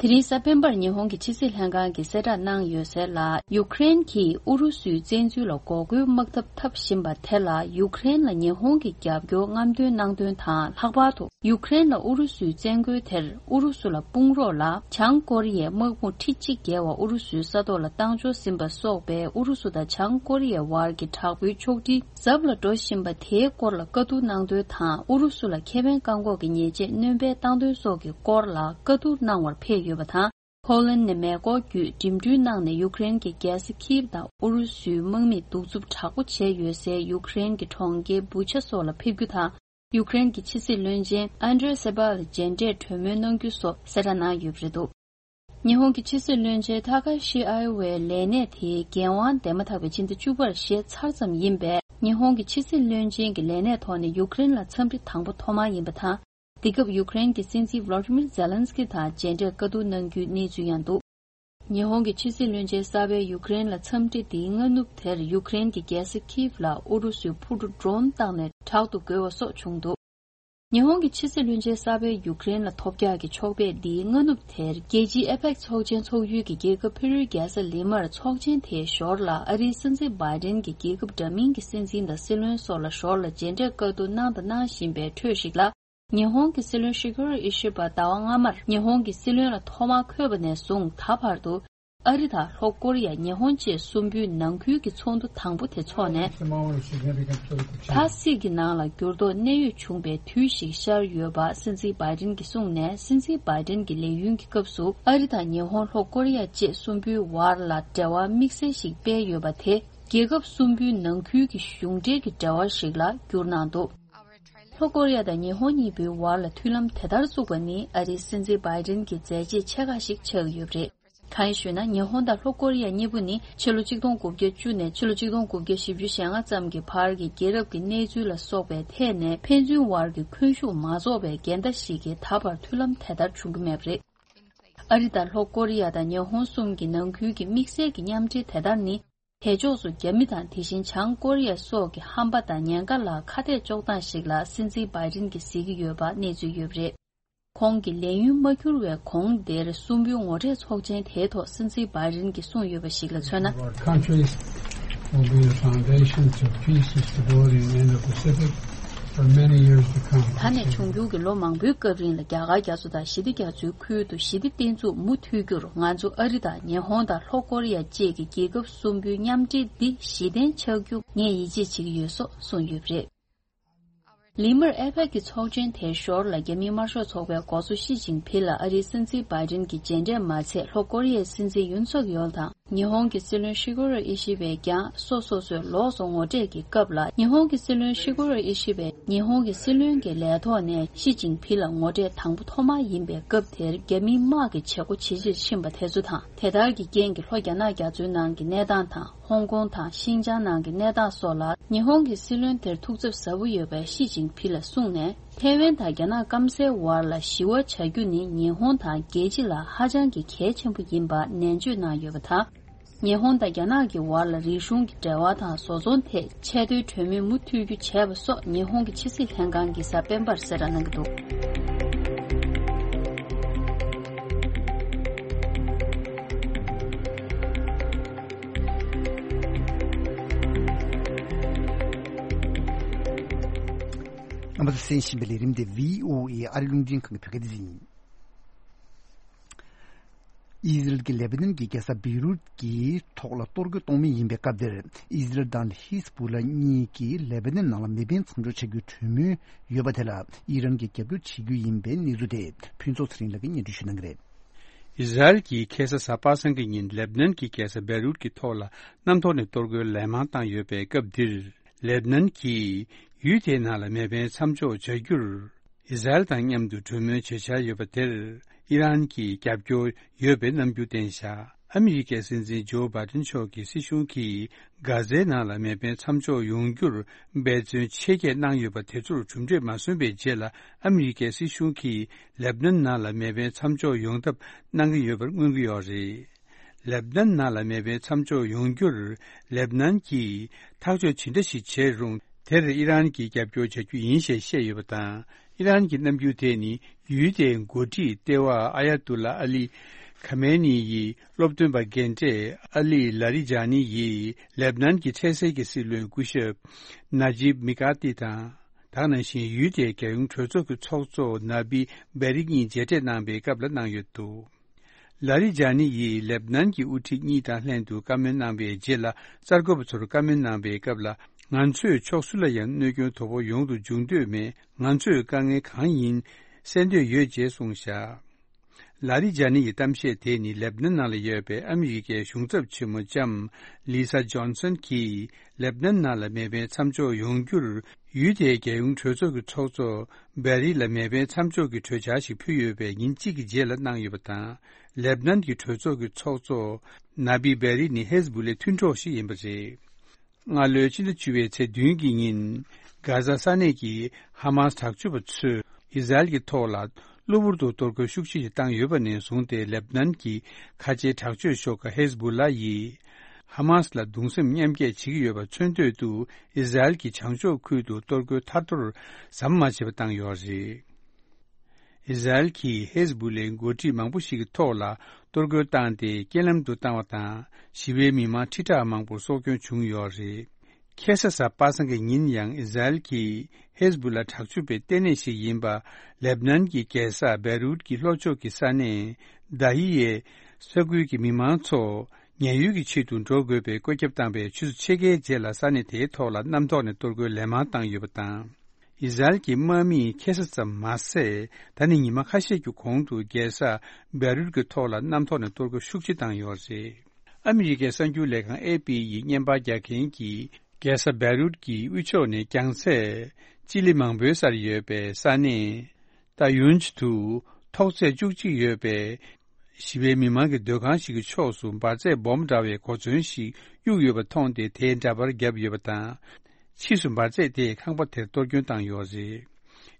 དེ་རིང་གཟའ་སྤེན་པར་ཉི་ཧོང་གི་ཕྱི་སྲིད་ལྷན་ཁང་གིས་གསལ་བསྒྲགས་གནང་ཡོད་གསལ་ལ། ཡུཀ་རེན་གྱིས་ཨུ་རུ་སུའི་བཙན་འཛུལ་ལ་འགོག་རྒོལ་དམག་འཐབ་འཐབ་བཞིན་པ་དེ་ལ་ཡུཀ་རེན་ལ་ཉི་ཧོང་གི་རྒྱབ་སྐྱོར་རྔམ་སྟོན་གནང་དོན་དང་། ལྷག་པར་དུ་ཡུཀ་རེན་ལ་ཨུ་རུ་སུའི་བཙན་རྒོལ་དེར་ཨུ་རུ་སུ་ལ་དཔུང་རོགས་ལ་བྱང་ཀོ་རི་ཡའི་དམག་དཔུང་ཁྲི་གཅིག་བརྒལ་བ་ཨུ་རུ་སུའི་ས་ཐོག་ལ་བཏང་འབྱོར་ཟིན་པ་སོགས་པའི་ཨུ་རུ་སུ་དང་བྱང་ཀོ་རི་ཡའི་བར་གྱི་དྲག་པོའི་ཕྱོགས་སྒྲིག་ཟབ་ལ་འགྲོ་བཞིན་པ་དེའི་སྐོར་ལ་བཀའ་བསྡུར་གནང་དོན་དང་། ཨུ་རུ་སུ་ལ་ཁེ་ཕན་བཀག་འགོག་གི་ཉེས་ཆད་སྣོན་སྤེལ་བཏང་དོན་སོགས་ཀྱི་སྐོར་ལ་བཀའ་བསྡུར་གནང་བར་ཕེབས་ཡོད་པ་དང་། ཕོ་ལན་ནས་མེ་འཁོར་བརྒྱུད་འགྲིམ་འགྲུལ་གནང་ནས་ཡུཀ་རེན་གྱི་རྒྱལ་ས་ཁིབ་དང་ཨུ་རུ་སུའི་དམག་མིས་གདུག་རྩུབ་དྲག་པོ་བྱས་ཡོད་སའི་ཡུཀ་རེན་གྱི་གྲོང་ཁྱེར་བུ་ཆ་སོགས་ལ་ཕེབས་རྒྱུ་དང་། ཡུཀ་རེན་གྱི་ཕྱི་སྲིད་བློན་ཆེན་ཨན་ཌྲེ་སེ་བྷ་ལ་མཇལ་འཕྲད་གྲོས་མོལ་གནང་རྒྱུ་སོགས་གསལ་བསྒྲགས་གནང་ཡོད་པ་རེད་འདུག་ཉི་ཧོང་གི་ཕྱི་སྲིད་བློན་ཆེན་ཐ་ཁ་ཤི་ཨའི་ཝའི་ལས་གནས་དེའི་འགན་དབང་འདེམས་མ་ཐག་པའི་ཕྱི་ཟླ་བཅུ་པར་བཞེས་ཚར་ཙམ་ཡིན་པས། ཉི་ཧོང་གི་ཕྱི་སྲིད་བློན་ཆེན་གྱི་ལས་གནས་ཐོག་ནས་ཡུཀ་རེན་ལ་འཚམས་འདྲི་དང་པོ་ཐོག་མ་ཡིན་པ་དང་། འདི་སྐབས་ཡུཀ་རེན་གྱི་སྲིད་འཛིན་ཝ་ལ་ཏི་མིར་ཛེ་ལན་སི་ཀི་དང་མཇལ་འཕྲད་བཀའ་བསྡུར་གནང་རྒྱུའི་གནས་ཚུལ་ཡང་འདུག་ཉི་ཧོང་གི་ཕྱི་སྲིད་བློན་ཆེན་གསར་པའི་ཡུཀ་རེན་ལ་འཚམས་འདྲི་འདིའི་སྔ་ནུབ་དེར་ཡུཀ་རེན་གྱི་རྒྱལ་ས་ཁིབ་ལ་ཨུ་རུ་སུའི་འཕུར་གྲུ་ཌྲོན་བཏང་ནས་དྲག་ཏུ་རྒོལ་བ་སོགས་བྱུང་འདུག་ཉི་ཧོང་གི་ཕྱི་སྲིད་བློན་ཆེན་གསར་པས་ཡུཀ་རེན་ལ་ཐོབ་རྒྱག་གི་ཕྱོགས་ཕེབས་འདིའི་སྔ་ནུབ་དེར་རྒྱལ་སྤྱིའི་ཨེ་པེག་ཚོགས་ཆེན་ཚོགས་ཡུལ་གྱི་རྒྱལ་ཁབ་ཕེ་རུའི་རྒྱལ་ས་ལི་མར་ཚོགས་ཆེན་དེའི་ཞོར་ལ་ཨ་རིའི་སྲིད་འཛིན་བྷའི་ཌེན་གྱི་རྒྱལ་ཁབ་འདྲ་མིན་གྱི་སྲིད་འཛིན་དང་སྲིད་བློན་སོགས་ལ་ཞོར་ལ་མཇལ་འཕྲད་བཀའ་བསྡུར་གནང་དང་གནང་བཞིན་པའི་ཁྲོད་ཞིག་ལ། ཉི་ཧོང་གི་སྲིད་བློན་ཤི་གེ་རུ་ཨི་ཤི་བ་ཟླ་བ་སྔ་མར་ཉི་ཧོང་གི་སྲིད་བློན་ལ་ཐོག་མར་འཁོད་པ་ནས་བཟུང་ད་བར་དུ། ཨ་རི་དང་ལྷོ་ཀོ་རི་ཡ་ཉི་ཧོང་བཅས་གསུམ་པོའི་ནང་ཁུལ་གྱི་ཚོགས་འདུ་དང་པོ་དེ་འཚོགས་ནས། མཐའ་སྲིད་ཀྱི་ནང་ལ་འགྱུར་ལྡོག་གནད་ཡོད་བྱུང་བའི་དུས་ཤིག་ཤར་ཡོད་པ་སྲིད་འཛིན་བྷའི་ཌེན་གྱིས་གསུངས་ནས། སྲིད་འཛིན་བྷའི་ཌེན་གྱི་ལས་ཡུན་གྱི་སྐབས་སུ་ཨ་རི་དང་ཉི་ཧོང་ལྷོ་ཀོ་རི་ཡ་བཅས་གསུམ་པོའི་བར་ལ་འབྲེལ་བ་དམིགས་བསལ་ཞིག་སྤེལ་ཡོད་པ་དེ་རྒྱལ་ཁབ་གསུམ་པོའི་ནང་ཁུལ་གྱི་གཞུང་འབྲེལ་གྱི་འབྲེལ་བ་ཞིག་ལ་བསྒྱུར་གནང་འདུག་ལྷོ་ཀོ་རི་ཡ་དང་ཉི་ཧོང་གཉིས་པོའི་བར་ལ་མཐུན་ལམ་དེ་ལྟར་བཙུགས་པ་ནི་ཨ་རིའི་སྲིད་འཛིན་བྷའི་ཌེན་གྱི་མཛད་རྗེས་ཆེ་ཁག་ཞིག་ཆགས་ཀྱི་ཡོད་པ་རེད། གང་ཡིན་ཞུས་ན། ཉི་ཧོང་དང་ལྷོ་ཀོ་རི་ཡ་གཉིས་པོ་ནི་ཕྱི་ལོ་ཆིག་སྟོང་དགུ་བརྒྱ་བཅུ་ནས་ཕྱི་ལོ་ཆིག་སྟོང་དགུ་བརྒྱ་བཞི་བཅུ་ཞེ་ལྔ་ཙམ་གྱི་བར་གྱི་རྒྱལ་རབས་ཀྱི་གནས་ཚུལ་ལ་སོགས་པའི་ཐད་ནས་ཕན་ཚུན་བར་གྱི་འཁོན་ཤུགས་མ་རྫོགས་པའི་འགལ་ཟླ་ཞིག་གིས་ད་བར་མཐུན་ལམ་དེ་ལྟར་བྱུང་གི་མེད་པ་རེད། ཨ་རི་དང་ལྷོ་ཀོ་རི་ཡ་དང་ཉི་ཧོང་གསུམ་གྱི་ནང་ཁུལ་གྱི་དམིགས་བསལ་གྱི་མཉམ་འབྲེལ་དེ་ལྟར་ནི། དེ་ཕྱོགས་སུ་རྒྱ་མི་དང་དེ་བཞིན་བྱང་ཀོ་རི་ཡ་སོགས་ཀྱི་ཧམ་པ་དང་ཉེན་ཁ་ལ་ཁ་གཏད་གཅོག་སྟངས་ཤིག་ལ་སྲིད་འཛིན་བྷའི་ཌེན་གྱིས་གཟིགས་ཀྱི་ཡོད་པ་གནས་ཚུལ་ཡོད་པ་རེད། ཁོང་གི་ལས་ཡུན་མ་འཁྱོལ་བའི་གོང་དེར་གསུམ་པོའི་ངོ་འཕྲད་ཚོགས་ཆེན་དེའི་ཐོག་སྲིད་འཛིན་བྷའི་ཌེན་གྱིས་གསུངས་ཡོད་པ་ཞིག་ལ་མཚོན་ན། Our countries will be the foundations of peace, stability, and Indo-Pacific for many years to come. ད་ནས་འབྱུང་འགྱུར་གྱི་ལོ་མང་པོའི་སྐབས་རིང་ལ་རྒྱ་གར་རྒྱ་མཚོ་དང་ཞི་བདེ་རྒྱ་མཚོའི་ཁུལ་དུ་ཞི་བདེ་བརྟན་ཚུགས་མུ་མཐུད་རྒྱུར་ང་ཚོ་ཨ་རི་དང་ཉི་ཧོང་དང་ལྷོ་ཀོ་རི་ཡ་བཅས་ཀྱི་རྒྱལ་ཁབ་གསུམ་པོའི་མཉམ་འབྲེལ་འདི་གཞི་རྟེན་ཆགས་རྒྱུ་ངས་ཡིད་ཆེས་བྱེད་ཀྱི་ཡོད་སོགས་གསུངས་ཡོད་པ་རེད། ལི་མར་ཨེ་པེག་གི་ཚོགས་ཆེན་དེའི་ཞོར་ལ་རྒྱ་མིའི་དམར་ཤོག་ཚོགས་པའི་འགོ་གཙོ་ཞི་ཅིན་ཕིང་ལ་ཨ་རིའི་སྲིད་འཛིན་བྷའི་ཌེན་གྱི་མཇལ་འཕྲད་མ་ཚད་ལྷོ་ཀོ་རི་ཡའི་སྲིད་འཛིན་ཡུན་སུག་ཡོལ་དང་། ཉི་ཧོང་གི་སྲིད་བློན་ཤི་གེ་རུ་ཨི་ཤི་བས་ཀྱང་སོ་སོ་སོའི་ལོགས་སུ་ངོ་འཕྲད་ཀྱི་སྐབས་ལ། ཉི་ཧོང་གི་སྲིད་བློན་ཤི་གེ་རུ་ཨི་ཤི་བས་ཉི་ཧོང་གི་སྲིད་བློན་གྱི་ལས་ཐོག་ནས་ཞི་ཅིན་ཕིང་ལ་ངོ་འཕྲད་དང་པོ་ཐོག་མ་ཡིན་པའི་སྐབས་དེར་རྒྱ་མིའི་དམག་གི་བྱེད་སྒོ་ཇེ་ཆེར་ཕྱིན་པ་དེ་ཚོ་དང་། དེ་ལྟར་གྱི་རྐྱེན་གྱིས་ལྷོ་རྒྱ་ནག་རྒྱ་མཚོའི་ནང་གི་གནས་སྟངས་དང་། ཧོང་ཀོང་དང་ཤིན་ཅང་ནང་གི་གནས་སྟངས་སོགས་ལ་ཉི་ཧོང་གི་སྲིད་བློན་དེར་ཐུགས་འཚབ་ཟབ་པོ་ཡོད་པའི་ཞི་ཅིན་ཕིང་ལ་གསུངས་ནས། ཐའེ་ཝན་དང་རྒྱ་ནག་སྐམ་སའི་བར་ལ་ཞི་བ་བྱ་རྒྱུ་ནི་ཉི་ཧོང་དང་རྒྱལ་སྤྱི་ལ་ཧ་ཅང་གི་གལ་ཆེན་པོ་ཡིན་པ་ནན་བརྗོད་གནང་ཡོད་པ་དང་། ཉི་ཧོང་དང་རྒྱ་ནག་གི་བར་ལ་རིག་གཞུང་གི་འབྲེལ་བ་དང་བཟོ་ཚོང་ཐད་ཆེས་མཐོའི་གྲོས་མོལ་མུ་མཐུད་རྒྱུ་བྱས་པ་སོགས་ཉི་ཧོང་གི་ཕྱི་སྲིད་ལྷན་ཁང་གིས་གཟའ་སྤེན་པར་གསལ་བསྒྲགས་གནང་གི་འདུག་རྣམ་པ་ཚོས་གསན་བཞིན་པའི་ལས་རིམ་དེ་བྷི་ཨོ་ཨེ་ཨ་རི་རླུང་འཕྲིན་ཁང་གི་བོད་སྐད་སྡེ་ཚན་ཡིན། ཨི་ཟི་རལ་གྱིས་ལེ་པ་ནན་གྱི་རྒྱལ་ས་བེ་རུད་ཀྱི་ཐོག་ལ་གཏོར་རྒོལ་གཏོང་མུས་ཡིན་པའི་སྐབས་འདིར། ཨི་ཟི་རལ་དང་ཧི་ཟ་བུ་ལ་གཉིས་ཀྱིས་ལེ་པ་ནན་ནང་ལ་མེ་འཕེན་མཚམས་འཇོག་བྱ་རྒྱུའི་གྲོས་མོལ་ཡོད་པ་དེ་ལ་ཨི་རན་གྱིས་རྒྱབ་སྐྱོར་བྱེད་རྒྱུ་ཡིན་པའི་གནས་ཚུལ་དེ་ཕུན་ཚོགས་ཚེ་རིང་ལགས་ཀྱིས་སྙན་སྒྲོན་ཞུ་གནང་གི་རེད། ཨི་ཟི་རལ་གྱིས་ཁ་སང་གཟའ་པ་སངས་ཀྱི་ཉིན་ལེ་པ་ནན་གྱི་རྒྱལ་ས་བེ་རུད་ཀྱི་ཐོག་ལ་གནམ་ཐོག་ནས་གཏོར་རྒོལ་ལན་མང་བཏང་ཡོད་པའི་སྐབས་འདིར། ལེ་པ་ནན་གྱིས་ཡུལ་དེའི་ནང་ལ་མེ་འཕེན་མཚམས་འཇོག་བྱ་རྒྱུར། ཨི་ཟི་རལ་དང་མཉམ་དུ་གྲོས་མོལ་བྱེད་འཆར་ཡོད་པ་དེར། ཨི་རན་གྱིས་རྒྱབ་སྐྱོར་ཡོད་པའི་རྣམ་འགྱུར་བསྟན་བཞག་ཨ་མི་རི་ཀའི་སྲིད་འཛིན་ཇོ་བྷའི་ཏིན་མཆོག་གི་སྲིད་གཞུང་གིས་གྷ་ཛའི་ནང་ལ་མེ་འཕེན་མཚམས་འཇོག་ཡོང་རྒྱུར་འབད་བརྩོན་ཆེ་བསྐྱེད་གནང་ཡོད་པ་དེ་ཚོར་གྲུབ་འབྲས་མ་སོན་པའི་རྗེས་ལ། ཨ་མི་རི་ཀའི་སྲིད་གཞུང་གིས་ལེ་པ་ནན་ནང་ལ་མེ་འཕེན་མཚམས་འཇོག་ཡོང་ཐབས་གནང་གི་ཡོད་པར་མངོན་གྱི་ཡོད་རེད། ལེ་པ་ནན་ནང་ལ་མེ་འཕེན་མཚམས་འཇོག་ཡོང་རྒྱུར། ལེ་པ་ནན་གྱིས་ཐག་གཅོད་ཇི་འདྲ་ཞིག་བྱས་རུང་། དེར་ཨི་རན་གྱིས་རྒྱབ་སྐྱོར་བྱ་རྒྱུ་ཡིན་ཞེས་བཤད་ཡོད་པ་དང་། ཨི་རན་གྱི་རྣམ་འགྱུར་དེ་ནི་ཡུལ་དེའི་འགོ་ཁྲིད་ལྟེ་བ་ཨ་ཡ་ཏུ་ལ་ཨ་ལི་ཁ་མེ་ནི་ཡི་སློབ་སྟོན་པ་རྒན་གྲས་ཨ་ལི་ལ་རི་ཇཱ་ནི་ཡིས་ལེབ་ནན་གྱི་འཕྲལ་སེལ་གྱི་སྲིད་བློན་སྐུ་ཞབས་ན་ཇིབ་མི་ཀ་ཏི་དང་། ད་ག་ནང་བཞིན་ཡུལ་དེའི་རྒྱལ་ཡོངས་གྲོས་ཚོགས་ཀྱི་ཚོགས་གཙོ་ན་བི་བེ་རི་གཉིས་མཇལ་འཕྲད་གནང་བའི་སྐབས་ལ་གནང་ཡོད་འདུག་ལ་རི་ཇཱ་ནི་ཡིས་ལེབ་ནན་གྱི་དབུ་ཁྲིད་གཉིས་དང་ལྷན་དུ་བཀའ་མོལ་གནང་བའི་རྗེས་ལ། གསར་འགོད་པ་ཚོར་བཀའ་མོལ་གནང་བའི་སྐབས་ལ། ང་ཚོས་ཕྱོགས་སུ་ལ་ཡང་གནོད་སྐྱོན་དོ་པོ་ཡོང་དུ་འཇུག་འདོད་མེད། ང་ཚོས་དཀའ་ངལ་གང་ཡིན་སེལ་འདོད་ཡོད་ཅེས་གསུངས་བཞག་ལ་རི་ཇཱ་ནི་ཡི་གཏམ་བཤད་དེ་ནི་ལེབ་ནན་ནང་ལ་ཡོད་པའི་ཨ་མི་རི་ཀའི་གཞུང་ཚབ་ཆེན་མོ་ལྕམ་ལི་ས་ཇོན་སན་གྱིས་ལེབ་ནན་ནང་ལ་མེ་འཕེན་མཚམས་འཇོག་ཡོང་རྒྱུར། ཡུལ་དེའི་རྒྱལ་ཡོངས་གྲོས་ཚོགས་ཀྱི་ཚོགས་གཙོ་བེ་རི་ལ་མེ་འཕེན་མཚམས་འཇོག་གི་གྲོས་འཆར་ཞིག་ཕུལ་ཡོད་པའི་ཉིན་གཅིག་གི་རྗེས་ལ་གནང་ཡོད་པ་དང་། ལེབ་ནན་གྱི་གྲོས་ཚོགས་ཀྱི་ཚོགས་གཙོ་ན་བི་བེ་རི་ནི་ཧེ་ཟ་བུ་ལའི་མཐུན་གྲོགས་ཤིག་ཡིན་པ་རེད། སྔ་ལོའི་ཕྱི་ཟླ་བཅུ་པའི་ཚེས་བདུན་གྱི་ཉིན། གྷ་ཟ་ས་གནས་ཀྱི་ཧ་མཱས་དྲག་སྤྱོད་པ་ཚོས་ཨི་ཟ་རེལ་གྱི་ཐོག་ལ་གློ་བུར་དུ་གཏོར་རྒོལ་ཤུགས་ཆེ་ཞིག་བཏང་ཡོད་པ་ནས་བཟུང་སྟེ། ལེབ་ནན་གྱི་ཁ་ཆེའི་དྲག་སྤྱོད་ཤོག་ཁག་ཧེ་ཟ་བུ་ལ་ཡིས་ཧ་མཱས་ལ་གདུང་སེམས་མཉམ་སྐྱེད་བྱེད་ཀྱི་ཡོད་པ་མཚོན་དོད་དུ། ཨི་ཟ་རེལ་གྱི་བྱང་ཕྱོགས་ཁུལ་དུ་གཏོར་རྒོལ་ཐར་ཐོར་ཟམ་མ་ཆད་པ་བཏང་ཡོད་རེད། ཨི་ཟ་རེལ་གྱིས་ཧེ་ཟ་བུ་ལའི་འགོ་ཁྲིད་མང་པོ་ཞིག་གི་ཐོག་ལ་གཏོར་རྒོལ་བཏང་སྟེ་རྐྱེན་ལམ་དུ་བཏང་བ་དང་། ཞི་བའི་མི་མང་ཁྲི་ཕྲག་མང་པོར་སྲོག་སྐྱོན་བྱུང་ཡོད་རེད། ཁ་སང་གཟའ་པ་སངས་ཀྱི་ཉིན་ཡང་ཨི་ཟ་རེལ་གྱིས་ཧེ་ཟ་བུ་ལ་དྲག་སྤྱོད་པའི་ལྟེ་གནས་ཤིག་ཡིན་པ་ལེབ་ནན་གྱི་རྒྱལ་ས་བེ་རུད་ཀྱི་ལྷོ་ཕྱོགས་ཀྱི་ས་གནས་དཱ་ཧི་ཡའི་ས་ཁུལ་གྱི་མི་མང་ཚོ་ཉེན་གཡོལ་གྱི་ཆེད་དུ་འགྲོ་དགོས་པའི་བཀོད་ཁྱབ་བཏང་པའི་ཆུ་ཚོད་ཕྱེད་ཀའི་རྗེས་ལ་ས་གནས་དེའི་ཐོག་ལ་གནམ་ཐོག་ནས་གཏོར་རྒོལ་ལན་མང་བཏང་ཡོད་པ་དང་། ཨི་ཟ་རེལ་གྱི་དམག་མིས་ཁ་སང་ཙམ་མ་ཟད། ད་ནི་ཉི་མ་ཁ་ཤས་ཀྱི་གོང་དུ་རྒྱལ་ས་བེ་རུད་ཀྱི་ཐོག་ལ་གནམ་ཐོག་ནས་གཏོར་རྒོལ་ཤུགས་ཆེ་བཏང་ཡོད་རེད། ཨ་མི་རི་ཀའི་གསར་འགྱུར་ལས་ཁང་ཨེ་པི་ཡིས་བརྙན་པར་རྒྱག་མཁན་གྱིས། རྒྱལ་ས་བེ་རུད་ཀྱི་དབུས་ཕྱོགས་ནས་རྒྱང་ཚད་སྤྱི་ལེ་མང་པོའི་སར་ཡོད་པའི་ས་གནས་ཏཱ་ཡུན་ཇི་དུ་ཐོག་ཚད་བཅུ་གཅིག་ཡོད་པའི་ཞི་བའི་མི་མང་གི་སྡོད་ཁང་ཞིག་གི་ཕྱོགས་སུ་འབར་རྫས་སྦོམ་འདྲ་བའི་གོ་མཚོན་ཞིག་གཡུགས་ཡོད་པ་མཐོང་སྟེ། དེའི་འདྲ་པར་བརྒྱབ་ཡོད་པ་དང་། ཕྱིས་སུ་འབར་རྫས་དེས་ཁང་པ་དེར་གཏོར་སྐྱོན་བཏང་ཡོད་རེད།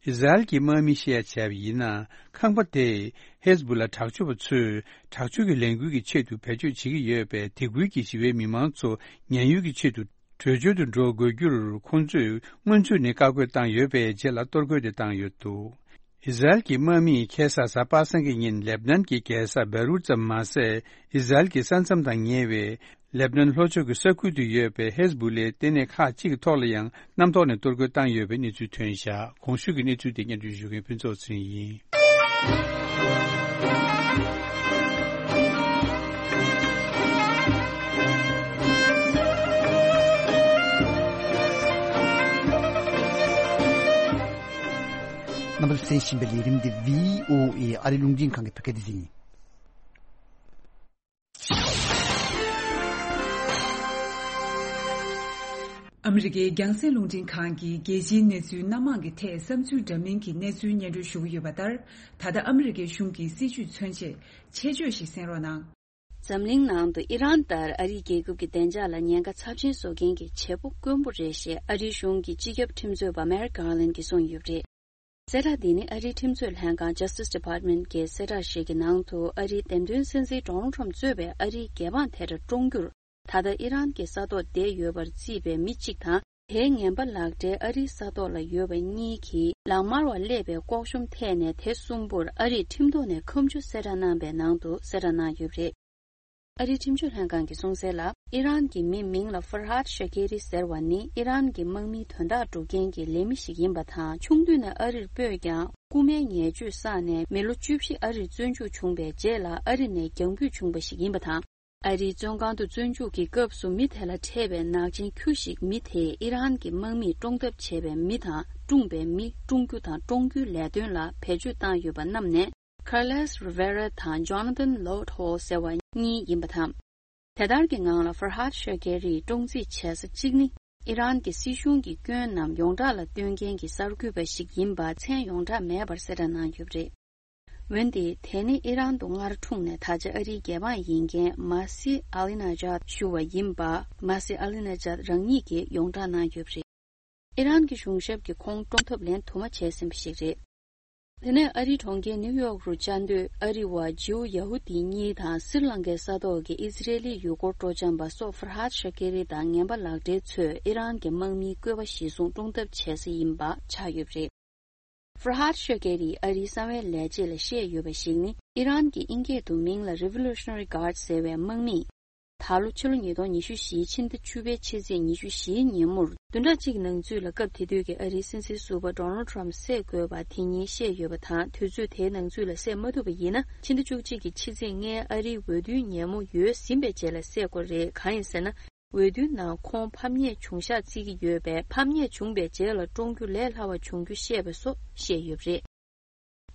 ཨི་ཟ་རེལ་གྱི་དམག་མིས་བཤད་ཡ་བྱས་པ་ཡིན་ན། ཁང་པ་དེས་ཧེ་ཟ་བུ་ལ་དྲག་སྤྱོད་པ་ཚོས་དྲག་སྤྱོད་ཀྱི་ལས་འགུལ་གྱི་ཆེད་དུ་བེད་སྤྱོད་བྱེད་ཀྱི་ཡོད་པས། དེ་ཁུལ་གྱི་ཞི་བའི་མི་མང་ཚོ་ཉེན་གཡོལ་གྱི་ཆེད་དུ་བྲོས་བྱོལ་དུ་འགྲོ་དགོས་རྒྱུར། ཁོང་ཚོས་སྔོན་ཚུད་ནས་བཀའ་བཀོད་བཏང་ཡོད་པའི་རྗེས་ལ་གཏོར་རྒོལ་དེ་བཏང་ཡོད་འདུག་ཨི་ཟ་རེལ་གྱི་དམག་མིས་ཁ་སང་གཟའ་པ་སངས་ཀྱི་ཉིན་ལེབ་ནན་གྱི་རྒྱལ་ས་བེ་རུད་ཙམ་མ་ཟད། ཨི་ཟ་རེལ་གྱི་ས་མཚམས་དང་ཉེ་བའི་ལེབ་ནན་ལྷོ་ཕྱོགས་ཀྱི་ས་ཁུལ་དུ་ཡོད་པའི་ཧེ་ཟ་བུ་ལའི་ལྟེ་གནས་ཁག་ཅིག་གི་ཐོག་ལ་ཡང་གནམ་ཐོག་ནས་གཏོར་རྒོལ་བཏང་ཡོད་པའི་གནས་ཚུལ་ཐོན་བཞག་གོང་ཞུས་ཀྱི་གནས་ཚུལ་དེ་སྙན་སྒྲོན་ཞུ་མཁན་ཕུན་ཚོགས་ཚེ་རིང་ཡིན། རྣམ་པ་ཚོས་གསན་བཞིན་པའི་ལས་རིམ་འདི་བྷི་ཨོ་ཨེ་ཨ་རིའི་རླུང་འཕྲིན་ཁང་གི་བོད་སྐད་སྡེ་ཚན་ཡིན། ཨ་མི་རི་ཀའི་རྒྱང་སྲིང་རླུང་འཕྲིན་ཁང་གིས་རྒྱལ་སྤྱིའི་གནས་ཚུལ་སྣ་མང་གི་ཐད་བསམ་ཚུལ་འདྲ་མིན་གྱི་གནས་ཚུལ་སྙན་སྒྲོན་ཞུ་གི་ཡོད་པ་ལྟར། ད་ལྟ་ཨ་མི་རི་ཀའི་གཞུང་གི་སྲིད་བྱུས་མཚོན་ཆེད་ཆེད་བརྗོད་ཞིག་གསན་རོགས་གནང་། འཛམ་གླིང་ནང་དུ་ཨི་རན་ལྟར་ཨ་རིའི་རྒྱལ་ཁབ་ཀྱི་བདེ་འཇགས་ལ་ཉེན་ཁ་ཚབས་ཆེན་བཟོ་མཁན་གྱི་བྱེད་པོ་དཀོན་པོ་རེད་ཞེས་ཨ་རིའི་གཞུང་གི་སྤྱི་ཁྱབ་ཁྲིམས་རྩོད་པ་མེར་ཀར་ལན་གྱིས་གསུངས་ཡོད་པ་རེད། གསལ་བསྒྲགས་འདི་ནི་ཨ་རིའི་ཁྲིམས་རྩོད་ལྷན་ཁང་Justice Department གྱི་གསལ་བསྒྲགས་ཤིག་གི་ནང་དུ། ཨ་རིའི་འདེམས་ཐོན་སྲིད་འཛིན་ཌོ་ནལ་ཁྲམ་གཙོས་པའི་ཨ་རིའི་རྒྱལ་འབངས་དེ་འདྲ་བཀྲོངས་རྒྱུར། ད་ལྟ་ཨི་རན་གྱི་ས་ཐོག་བསྡད་ཡོད་པར་བརྩིས་པའི་མི་གཅིག་དང་། དེའི་ངན་པ་ལག་འབྲེལ་ཨ་རིའི་ས་ཐོག་ལ་ཡོད་པ་གཉིས་ཀྱིས་ལག་དམར་བ་སླེབས་པའི་ལྐོག་ཤོམ་ཐད་ནས། དེ་གསུམ་པོར་ཨ་རིས་ཁྲིམས་ཐོག་ནས་ཁ་མཆུ་གསལ་བསྒྲགས་གནང་པའི་ནང་དུ་གསལ་བསྒྲགས་གནང་ཡོད་པ་རེད། ཨ་རིའི་ཁྲིམས་གཅོད་ལྷན་ཁང་གིས་གསུངས་གསལ་ལ། ཨི་རན་གྱི་མི་མིང་ལ་ཧྥར་ཧཱད་ཤ་ཀེ་རི་ཟེར་བ་ནི་ཨི་རན་གྱི་དམག་མིའི་དོན་དག་སྒྲུབ་མཁན་གྱི་ལས་མི་ཞིག་ཡིན་པ་དང་། ཆུང་དུས་ནས་ཨ་རིར་སྤོས་ཀྱང་། རྐུན་མའི་ཉེས་སྤྱོད་བསགས་ནས་མི་ལོ་བཅུ་བཞི་ཨ་རིར་བཙོན་འཇུག་བྱུང་བའི་རྗེས་ལ་ཨ་རི་ནས་རྒྱང་འབུད་བྱུང་བ་ཞིག་ཡིན་པ་དང་། ཨ་རིའི་བཙོན་ཁང་དུ་བཙོན་འཇུག་གི་སྐབས་སུ་མི་དེ་ལ་འཕྲད་པའི་ནག་ཅན་ཁྱུ་ཞིག་མི་དེས་ཨི་རན་གྱི་དམག་མིས་བཀྲོངས་ཐབས་བྱས་པའི་མི་དང་། བཀྲོངས་པའི་མི། བཀྲོངས་རྒྱུ་དང་བཀྲོངས་རྒྱུའི་ལས་དོན་ལ་བེད་སྤྱོད་བཏང་ཡོད་པ་བསྣམས་ནས། Carlos Rivera དང་Jonathan Lodeho ཟེར་བ་གཉིས་ཡིན་པ་དང་། དེ་ལྟར་གྱི་ངང་ལ་ཧྥར་ཧཱད་ཤ་ཀེ་རིས་བཀྲོངས་རྩིས་བྱེད་ས་གཅིག་ནི། ཨི་རན་གྱི་སྲིད་གཞུང་གི་སྐྱོན་ནམ་ཡོངས་གྲགས་ལ་སྟོན་མཁན་གྱི་གསར་འགོད་པ་ཞིག་ཡིན་པ་མཚན་ཡོངས་གྲགས་མེད་པར་གསལ་བསྒྲགས་གནང་ཡོད་པ་རེད། འོན་ཏེ། དེ་ནི་ཨི་རན་དུ་སྔར་འཁྲུངས་ནས་ད་ཆ་ཨ་རིའི་རྒྱལ་འབངས་ཡིན་མཁན་མ་སི་ཨ་ལི་ན་ཇཱད་ཞུ་བ་ཡིན་པ། མ་སི་ཨ་ལི་ན་ཇཱད་རང་ཉིད་ཀྱིས་ཡོངས་བསྒྲགས་གནང་ཡོད་པ་རེད། ཨི་རན་གྱི་གཞུང་ཞབས་ཀྱིས་ཁོང་བཀྲོངས་ཐབས་ལན་དུ་མ་བྱས་ཟིན་པ་ཞིག་རེད། དེ་ནས་ཨ་རིའི་གྲོང་ཁྱེར་ནིའུ་ཡོག་རུ་བཅའ་སྡོད་ཨ་རི་བ་ཇིའུ་ཡ་ཧུ་དི་གཉིས་དང་སི་རི་ལང་ཀའི་ས་ཐོག་གི་ཨི་ཟི་རེལ་ལི་ཡུལ་སྐོར་སྤྲོ་འཆམ་པ་སོགས་ཧྥར་ཧཱད་ཤ་ཀེ་རི་དང་ངན་པ་ལག་སྦྲེལ་ཚོས་ཨི་རན་གྱི་དམག་མིའི་བཀོད་པ་གཞིར་བཟུང་བཀྲོངས་ཐབས་བྱས་ས་ཡིན་པ་ཆགས་ཡོད་པ་རེད། Farhad Shaqeri ཨ་རིའི་གསང་བའི་ལས་བྱེད་ལ་བཤད་ཡོད་པ་ཞིག་ནི། ཨི་རན་གྱི་ཨིན་སྐད་དུ་མིང་ལ་Revolutionary Guard ཟེར་བའི་དམག་མིས། ད་ལོ་ཕྱི་ལོ་ཉིས་སྟོང་ཉི་ཤུ་བཞིའི་ཕྱི་ཟླ་བཅུ་པའི་ཕྱི་ཚེས་ཉི་ཤུ་བཞིའི་ཉིན་མོར། བདུན་ཕྲག་གཅིག་ནང་ཚུད་ལ་སྐབས་དེ་དུས་ཀྱི་ཨ་རིའི་སྲིད་འཛིན་ཟུར་པ་Donald Trump བསད་དགོས་པ་དེ་ཉིད་བཤད་ཡོད་པ་དང་། དུས་ཚོད་དེའི་ནང་ཚུད་ལ་བསད་མ་ཐུབ་པ་ཡིན་ན། ཕྱི་ཟླ་བཅུ་གཅིག་གི་ཕྱི་ཚེས་ལྔའི་ཨ་རིའི་འོས་བསྡུའི་ཉིན་མོ་ཡོལ་ཟིན་པའི་རྗེས་ལ་བསད་དགོས་རེད། གང་ཡིན་ཟེར་ན། འོས་བསྡུའི་ནང་ཁོང་ཕམ་ཉེས་བྱུང་ཤག་བརྩི་གི་ཡོད་པས། ཕམ་ཉེས་བྱུང་པའི་རྗེས་ལ་བཀྲོངས་རྒྱུ་ལས་སླ་བ་བྱུང་རྒྱུ་བཤད་པ་སོགས་བཤད་ཡོད་པ་རེད།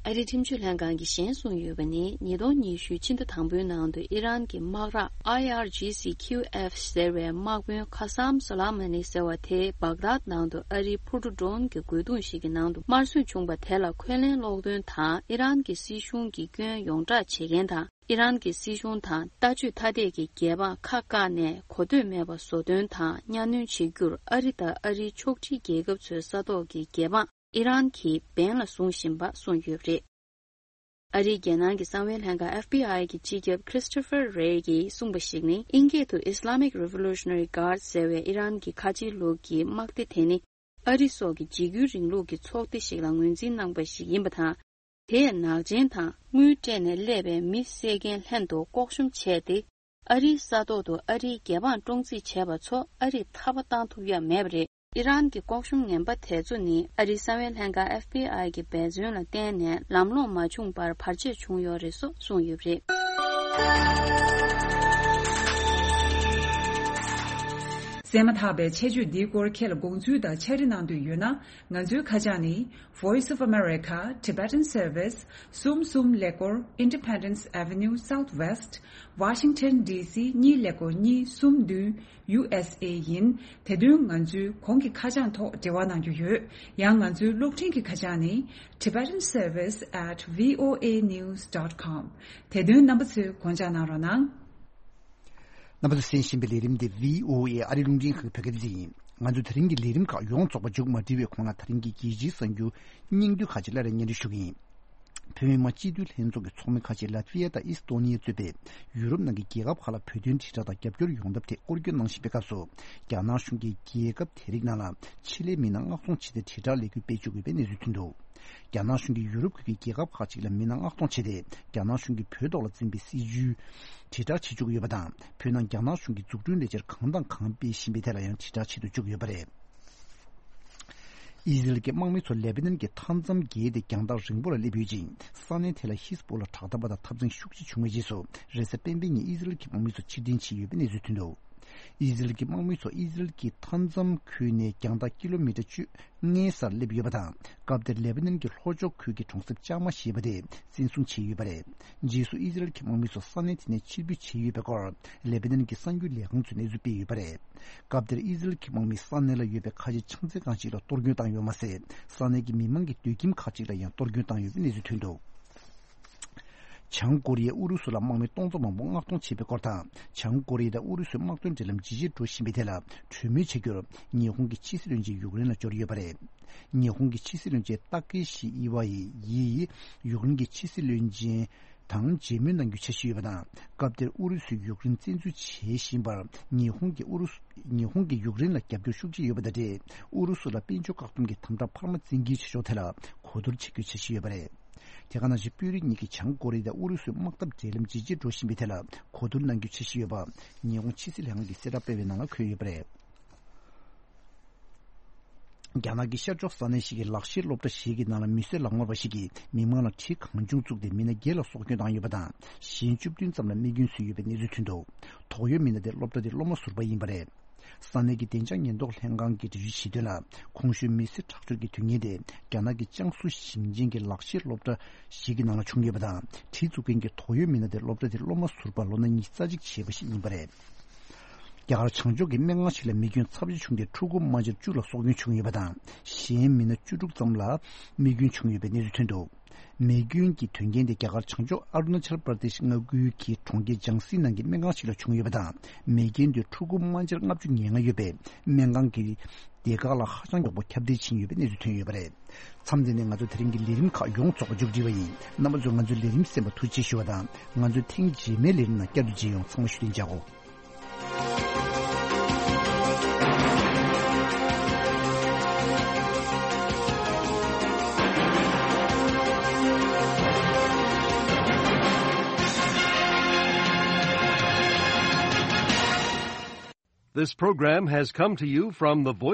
ཨ་རིའི་ཁྲིམས་གཅོད་ལྷན་ཁང་གིས་གཞན་གསུངས་ཡོད་པ་ནི། ཉིས་སྟོང་ཉི་ཤུའི་ཕྱི་ཟླ་དང་པོའི་ནང་དུ་ཨི་རན་གྱི་དམག་རགས་I R G C Q F ཟེར་བའི་དམག་དཔོན་ཁ་སམ་སོ་ལ་མ་ནི་ཟེར་བ་དེ་བག་དཱད་ནང་དུ་ཨ་རིའི་འཕུར་གྲུ་ཌོན་གྱི་རྒོལ་རྡུང་ཞིག་གི་ནང་དུ་དམར་གསོད་བྱུང་པ་དེ་ལ་འཁོན་ལན་སློག་དོན་དང་། ཨི་རན་གྱི་སྲིད་གཞུང་གི་སྐྱོན་ཡོངས་བསྒྲགས་བྱེད་མཁན་དང་། ཨི་རན་གྱི་སྲིད་གཞུང་དང་ལྟ་སྤྱོད་ཐ་དད་ཀྱི་རྒྱལ་འབངས་ཁ་བཀག་ནས་གོ་ཐོས་མེད་པ་བཟོ་དོན་དང་གཉའ་གནོན་བྱེད་རྒྱུར་ཨ་རི་དང་ཨ་རིའི་ཕྱོགས་སྒྲིག་རྒྱལ་ཁབ་ཚོའི་ས་ཐོག་གི་རྒྱལ་འབངས་ཨི་རན་གྱིས་འབེན་ལ་བཟུང་བཞིན་པ་གསུངས་ཡོད་པ་རེད། ཨ་རིའི་རྒྱལ་ནང་གི་གསང་བའི་ལྷན་ཁང་F B I གྱི་སྤྱི་ཁྱབ་Christopher Wray གྱིས་གསུངས་པ་ཞིག་ནི། ཨིན་སྐད་དུ་Islamic Revolutionary Guard ཟེར་བའི་ཨི་རན་གྱི་ཁ་ཆེའི་ལུགས་ཀྱི་དམག་སྡེ་དེ་ནི། ཨ་རི་སོགས་ཀྱི་འཇིགས་སྐུལ་རིང་ལུགས་ཀྱི་ཚོགས་སྡེ་ཞིག་ལ་ངོས་འཛིན་གནང་པ་ཞིག་ཡིན་པ་དང་། དེས་ནག་ཅན་དང་དངུལ་སྤྲད་ནས་སླེབས་པའི་མི་བསད་མཁན་ལྷན་དུ་ལྐོག་ཤུམ་བྱས་ཏེ། ཨ་རིའི་ས་ཐོག་ཏུ་ཨ་རིའི་རྒྱལ་འབངས་བཀྲོངས་རྩིས་བྱས་པ་ཚོ་ཨ་རིས་ཐར་པ་བཏང་ཐུབ་ཡ་མེད་པ་རེད། ཨི་རན་གྱི་ལྐོག་ཤུམ་ངན་པ་དེ་ཚོ་ནི་ཨ་རིའི་གསང་བའི་ལྷན་ཁང་F B I གྱི་འབད་བརྩོན་ལ་བརྟེན་ནས་ལམ་ལྷོང་མ་བྱུང་བར་བར་ཆད་བྱུང་ཡོད་རེད་སོགས་གསུངས་ཡོད་པ་རེད། གསན་མ་ཐག་པའི་ཆེད་བརྗོད་འདིའི་སྐོར་ཁྱེད་ལ་དགོངས་ཚུལ་དང་ཕྱག་བྲིས་གནང་འདོད་ཡོད་ན། ང་ཚོའི་ཁ་བྱང་ནི། Voice of America, Tibetan Service, གསུམ་གསུམ་ཀླད་ཀོར། Independence Avenue Southwest, Washington D C གཉིས་ཀླད་ཀོར་གཉིས་གསུམ་བདུན། U S A ཡིན། དེ་དོན་ང་ཚོའི་གོང་གི་ཁ་བྱང་ཐོག་འབྲེལ་བ་གནང་རྒྱུ་ཡོད། ཡང་ང་ཚོའི་གློག་འཕྲིན་གྱི་ཁ་བྱང་ནི། Tibetan Service at V O A news dot com། དེ་དོན་རྣམ་པ་ཚོས་དགོངས་འཇགས་གནང་རོགས་གནང་། རྣམ་པ་ཚོས་གསན་བཞིན་པའི་ལས་རིམ་དེ་V O A ཨ་རིའི་རླུང་འཕྲིན་ཁང་བོད་སྐད་སྡེ་ཚན་ཡིན། ང་ཚོས་ད་རིང་གི་ལས་རིམ་ཁག་ཡོངས་རྫོགས་པ་མཇུག་མ་སྒྲིལ་བའི་གོང་ལ། ད་རིང་གི་རྒྱལ་སྤྱིའི་གསར་འགྱུར་སྙིང་བསྡུས་ཁག་ཅིག་སླར་ཡང་སྙན་སྒྲོན་ཞུ་གི་ཡིན། བོད་མི་མང་སྤྱི་འཐུས་ལྷན་ཚོགས་ཀྱི་ཚོགས་མི་ཁག་ཅིག་ལ་ཏི་ཝི་ཡ་དང་ཨི་སི་ཐོ་ནི་ཡ་གཙོས་པའི་ཡུ་རོབ་ནང་གི་རྒྱལ་ཁབ་ཁག་ལ་བོད་དོན་དྲིལ་བསྒྲགས་དང་རྒྱབ་སྐྱོར་ཡོང་ཐབས་ཐད་སྐོར་སྐྱོད་གནང་བཞིན་པའི་སྐབས་སུ། རྒྱ་ནག་གཞུང་གིས་རྒྱལ་ཁབ་དེ་རིགས་ནང་ལ་ཆེད་ལས་མི་སྣ་མངགས་གཏོང་བྱས་ཏེ་དྲིལ་བསྒྲགས་ལས་འགུལ་སྤེལ་བཅུག་ཡོད་པའི་གནས་ཚུལ་ཐོན་འདུག། རྒྱ་ནག་གཞུང་གིས་ཡུ་རོབ་ཁུལ་གྱི་རྒྱལ་ཁབ་ཁག་ཅིག་ལ་མི་སྣ་མངགས་གཏོང་བྱས་ཏེ། རྒྱ་ནག་གཞུང་གིས་བོད་ཐོག་ལ་འཛིན་པའི་སྲིད་བྱུས་དྲིལ་བསྒྲགས་བྱེད་བཅུག་ཡོད་པ་དང་། བོད་ནང་རྒྱ་ནག་གཞུང་གིས་འཛུགས་སྐྲུན་ལས་འཆར་གང་དང་གང་སྤེལ་བཞིན་པའི་ཐད་ལ་ཡང་དྲིལ་བསྒྲགས་བྱེད་དུ་བཅུག་ཡོད་པ་རེད། ཨི་ཟི་རལ་གྱི་དམག་མི་ཚོ་ལེ་པ་ནན་གྱི་མཐའ་མཚམས་བརྒལ་ཏེ་རྒྱང་ཐག་རིང་པོ་ལ་སླེབས་ཡོད་ཅིང་། ས་གནས་དེ་ལ་ཧི་ཟ་པོ་ལ་དྲག་འཐབ་པ་དང་འཐབ་འཛིང་ཤུགས་ཆེ་བྱུང་བའི་རྗེས་སུ། རེས་གཟའ་སྤེན་པའི་ཉིན་ཨི་ཟི་རལ་གྱི་དམག་མི་ཚོ་ཕྱིར་འཐེན་བྱས་ཡོད་པའི་གནས་ཚུལ་ཐོན་འདུག། ཨི་ཟི་རལ་གྱི་དམག་མི་ཚོ་ཨི་ཟི་རལ་གྱི་མཐའ་མཚམས་ཁུལ་ནས་རྒྱང་ཐག་ཀི་ལོ་མི་ཊར་བཅུ་ལྔའི་སར་སླེབས་ཡོད་པ་དང་། སྐབས་དེར་ལེ་པ་ནན་གྱི་ལྷོ་ཕྱོགས་ཁུལ་གྱི་གྲོང་གསེབ་ལྕང་མ་ཞེས་པ་དེ་བཙན་བཟུང་བྱས་ཡོད་པ་རེད། རྗེས་སུ་ཨི་ཟི་རལ་གྱི་དམག་མི་ཚོ་ས་གནས་དེ་ནས་ཕྱིར་འབུད་བྱས་ཡོད་པའི་སྐོར་ལེ་པ་ནན་གྱི་གསར་འགྱུར་ལས་ཁང་ཚོས་གནས་ཚུལ་སྤེལ་ཡོད་པ་རེད། སྐབས་དེར་ཨི་ཟི་རལ་གྱི་དམག་མིས་ས་གནས་ལ་ཡོད་པའི་ཁ་ཆེ་ཆང་རྩེད་ཁང་ཞིག་ལ་གཏོར་སྐྱོན་བཏང་ཡོད་མ་ཟད། ས་གནས་ཀྱི་མི་མང་གི་སྡོད་ཁྱིམ་ཁག་ཅིག་ལ་ཡང་གཏོར་སྐྱོན་བཏང་ཡོད་པའི་གནས་ཚུལ་ཐོན་འདུག། བྱང་ཀོ་རི་ཡས་ཨུ་རུ་སུ་ལ་དམག་མི་སྟོང་ཚོ་མང་པོ་མངགས་གཏོང་བྱས་པའི་སྐོར་དང་། བྱང་ཀོ་རི་ཡ་དང་ཨུ་རུ་སུའི་དམག་དོན་འབྲེལ་ལམ་ཇེ་ཆེར་འགྲོ་བཞིན་པའི་ཐད་ལ་གྲོས་མོལ་བྱ་རྒྱུར་ཉི་ཧོང་གི་ཕྱི་སྲིད་བློན་ཆེན་ཡུཀ་རེན་ལ་འབྱོར་ཡོད་པ་རེད། ཉི་ཧོང་གི་ཕྱི་སྲིད་བློན་ཆེན་ཏཱ་ཀེ་ཤི་ཨི་ཝ་ཡིས་ཡུཀ་རེན་གྱི་ཕྱི་སྲིད་བློན་ཆེན་དང་མཇལ་མོལ་གནང་རྒྱུའི་འཆར་གཞི་ཡོད་པ་དང་། སྐབས་དེར་ཨུ་རུ་སུས་ཡུཀ་རེན་བཙན་འཛུལ་བྱེད་བཞིན་པར་ཉི་ཧོང་གིས་ཨུ་རུ་སུ་ཉི་ཧོང་གིས་ཡུཀ་རེན་ལ་རྒྱབ་སྐྱོར་ཤུགས་ཆེ་ཡོད་པ་དང་འབྲེལ། ཨུ་རུ་སུ་ལ་དཔལ་འབྱོར་བཀག་སྡོམ་གྱི་དམ་དྲག་འཕར་མ་བཙན་འགེལ་བྱེད་ཕྱོགས་ཐད་ལ་གོ་བསྡུར་བྱེད་རྒྱུའི་འཆར་གཞི་ཡོད་པ་རེད། དེ་ག་ནང་བཞིན་དཔོན་རིགས་གཉིས་ཀྱིས་བྱང་ཀོ་རི་ཡ་དང་ཨུ་རུ་སུའི་དམག་འཐབ་འབྲེལ་ལམ་ཇེ་ཆེར་འགྲོ་བཞིན་པའི་ཐད་ལ་གོ་བསྡུར་གནང་རྒྱུའི་འཆར་གཞི་ཡོད་པ། ཉི་ཧོང་ཕྱི་སྲིད་ལྷན་ཁང་གིས་གསལ་བསྒྲགས་སྤེལ་བའི་ནང་ལ་འཁོད་ཡོད་པ་རེད། རྒྱ་ནག་གི་ཤར་ཕྱོགས་ས་གནས་ཤིག་གི་ལག་ཤེས་སློབ་གྲྭ་ཞིག་གི་ནང་ལ་མི་གསོད་ལག་དམར་བ་ཞིག་གིས་མི་མང་ལ་གྲི་གང་བྱུང་བཙུགས་ཏེ་མི་སྣ་བརྒྱད་ལ་སྲོག་སྐྱོན་བཏང་ཡོད་པ་དང་། གཞན་བཅུ་བདུན་ཙམ་ལ་རྨས་སྐྱོན་བཟོས་ཡོད་པའི་གནས་ཚུལ་ཐོན་འདུག། དོགས་ཡོད་མི་སྣ་དེ་སློབ་གྲྭ་དེའི་སློབ་མ་ཟུར་པ་ཡིན་པ་རེད། ས་གནས་ཀྱི་བདེ་འཇགས་ཉེན་རྟོག་ལྷན་ཁང་གིས་འགྲེལ་བརྗོད་བྱས་དོན་ལ། གོང་ཞུས་མི་གསོད་ཁྲག་སྦྱོར་གྱི་དོན་རྐྱེན་དེ་རྒྱ་ནག་གི་ཅང་སུའུ་ཞིང་ཆེན་གྱི་ལག་ཤེས་སློབ་གྲྭ་ཞིག་གི་ནང་ལ་བྱུང་ཡོད་པ་དང་། གྲི་བཙུགས་མཁན་གྱི་དོགས་ཡོད་མི་སྣ་དེ་སློབ་གྲྭ་དེའི་སློབ་མ་ཟུར་པ་ལོ་ན་ཉི་ཤུ་རྩ་གཅིག་བྱས་པ་ཞིག་ཡིན་པ་རེད། རྒྱ་གར་བྱང་ཕྱོགས་ཀྱི་སྨན་ཁང་ཞིག་ལ་རྨས་སྐྱོན་ཚབས་ཆེ་བྱུང་སྟེ། ཕྲུ་གུ་དམར་འབྱར་བཅུ་ལ་སྲོག་སྐྱོན་བྱུང་ཡོད་པ་དང་། གཞན་མི་སྣ་བཅུ་དྲུག་ཙམ་ལ་རྨས་སྐྱོན་བྱུང་ཡོད་པའི་གནས་ཚུལ་ཐོན་འདུག། རྨས་སྐྱོན་གྱི་དོན་རྐྱེན་དེ་རྒྱ་གར་བྱང་ཕྱོགས་ཨ་རུ་ན་ཅལ་པར་དེ་ཤི་མངའ་ཁུལ་གྱི་གྲོང་ཁྱེར་ལྗང་སི་ནང་གི་སྨན་ཁང་ཞིག་ལ་བྱུང་ཡོད་པ་དང་། རྨས་སྐྱོན་དེ་ཕྲུ་གུ་དམར་འབྱར་ལྔ་བཅུ་ང་ལྔ་ཡོད་པས། སྨན་ཁང་གི་སྡེ་ཁག་ལ་ཧ་ཅང་མགྱོགས་པོ་ཁྱབ་གདལ་ཕྱིན་ཡོད་པའི་གནས་ཚུལ་ཐོན་ཡོད་པ་རེད། མཚམས་འདི་ནས་ང་ཚོ་དེ་རིང་གི་ལས་རིམ་ཁག་ཡོངས་རྫོགས་པ་མཇུག་སྒྲིལ་བ་ཡིན། རྣམ་པ་ཚོས་ང་ཚོའི་ལས་རིམ་གསན་པར་ཐུགས་རྗེ་ཆེ་ཞུ་བ་དང་། ང་ཚོའི་ཐེངས་རྗེས་མའི་ལས་རིམ་ནང་བསྐྱར་དུ་མཇལ་ཡོང་། ཚང་མ་བཞུགས་གདན་འཇགས་གོ། This program has come to you from the Voice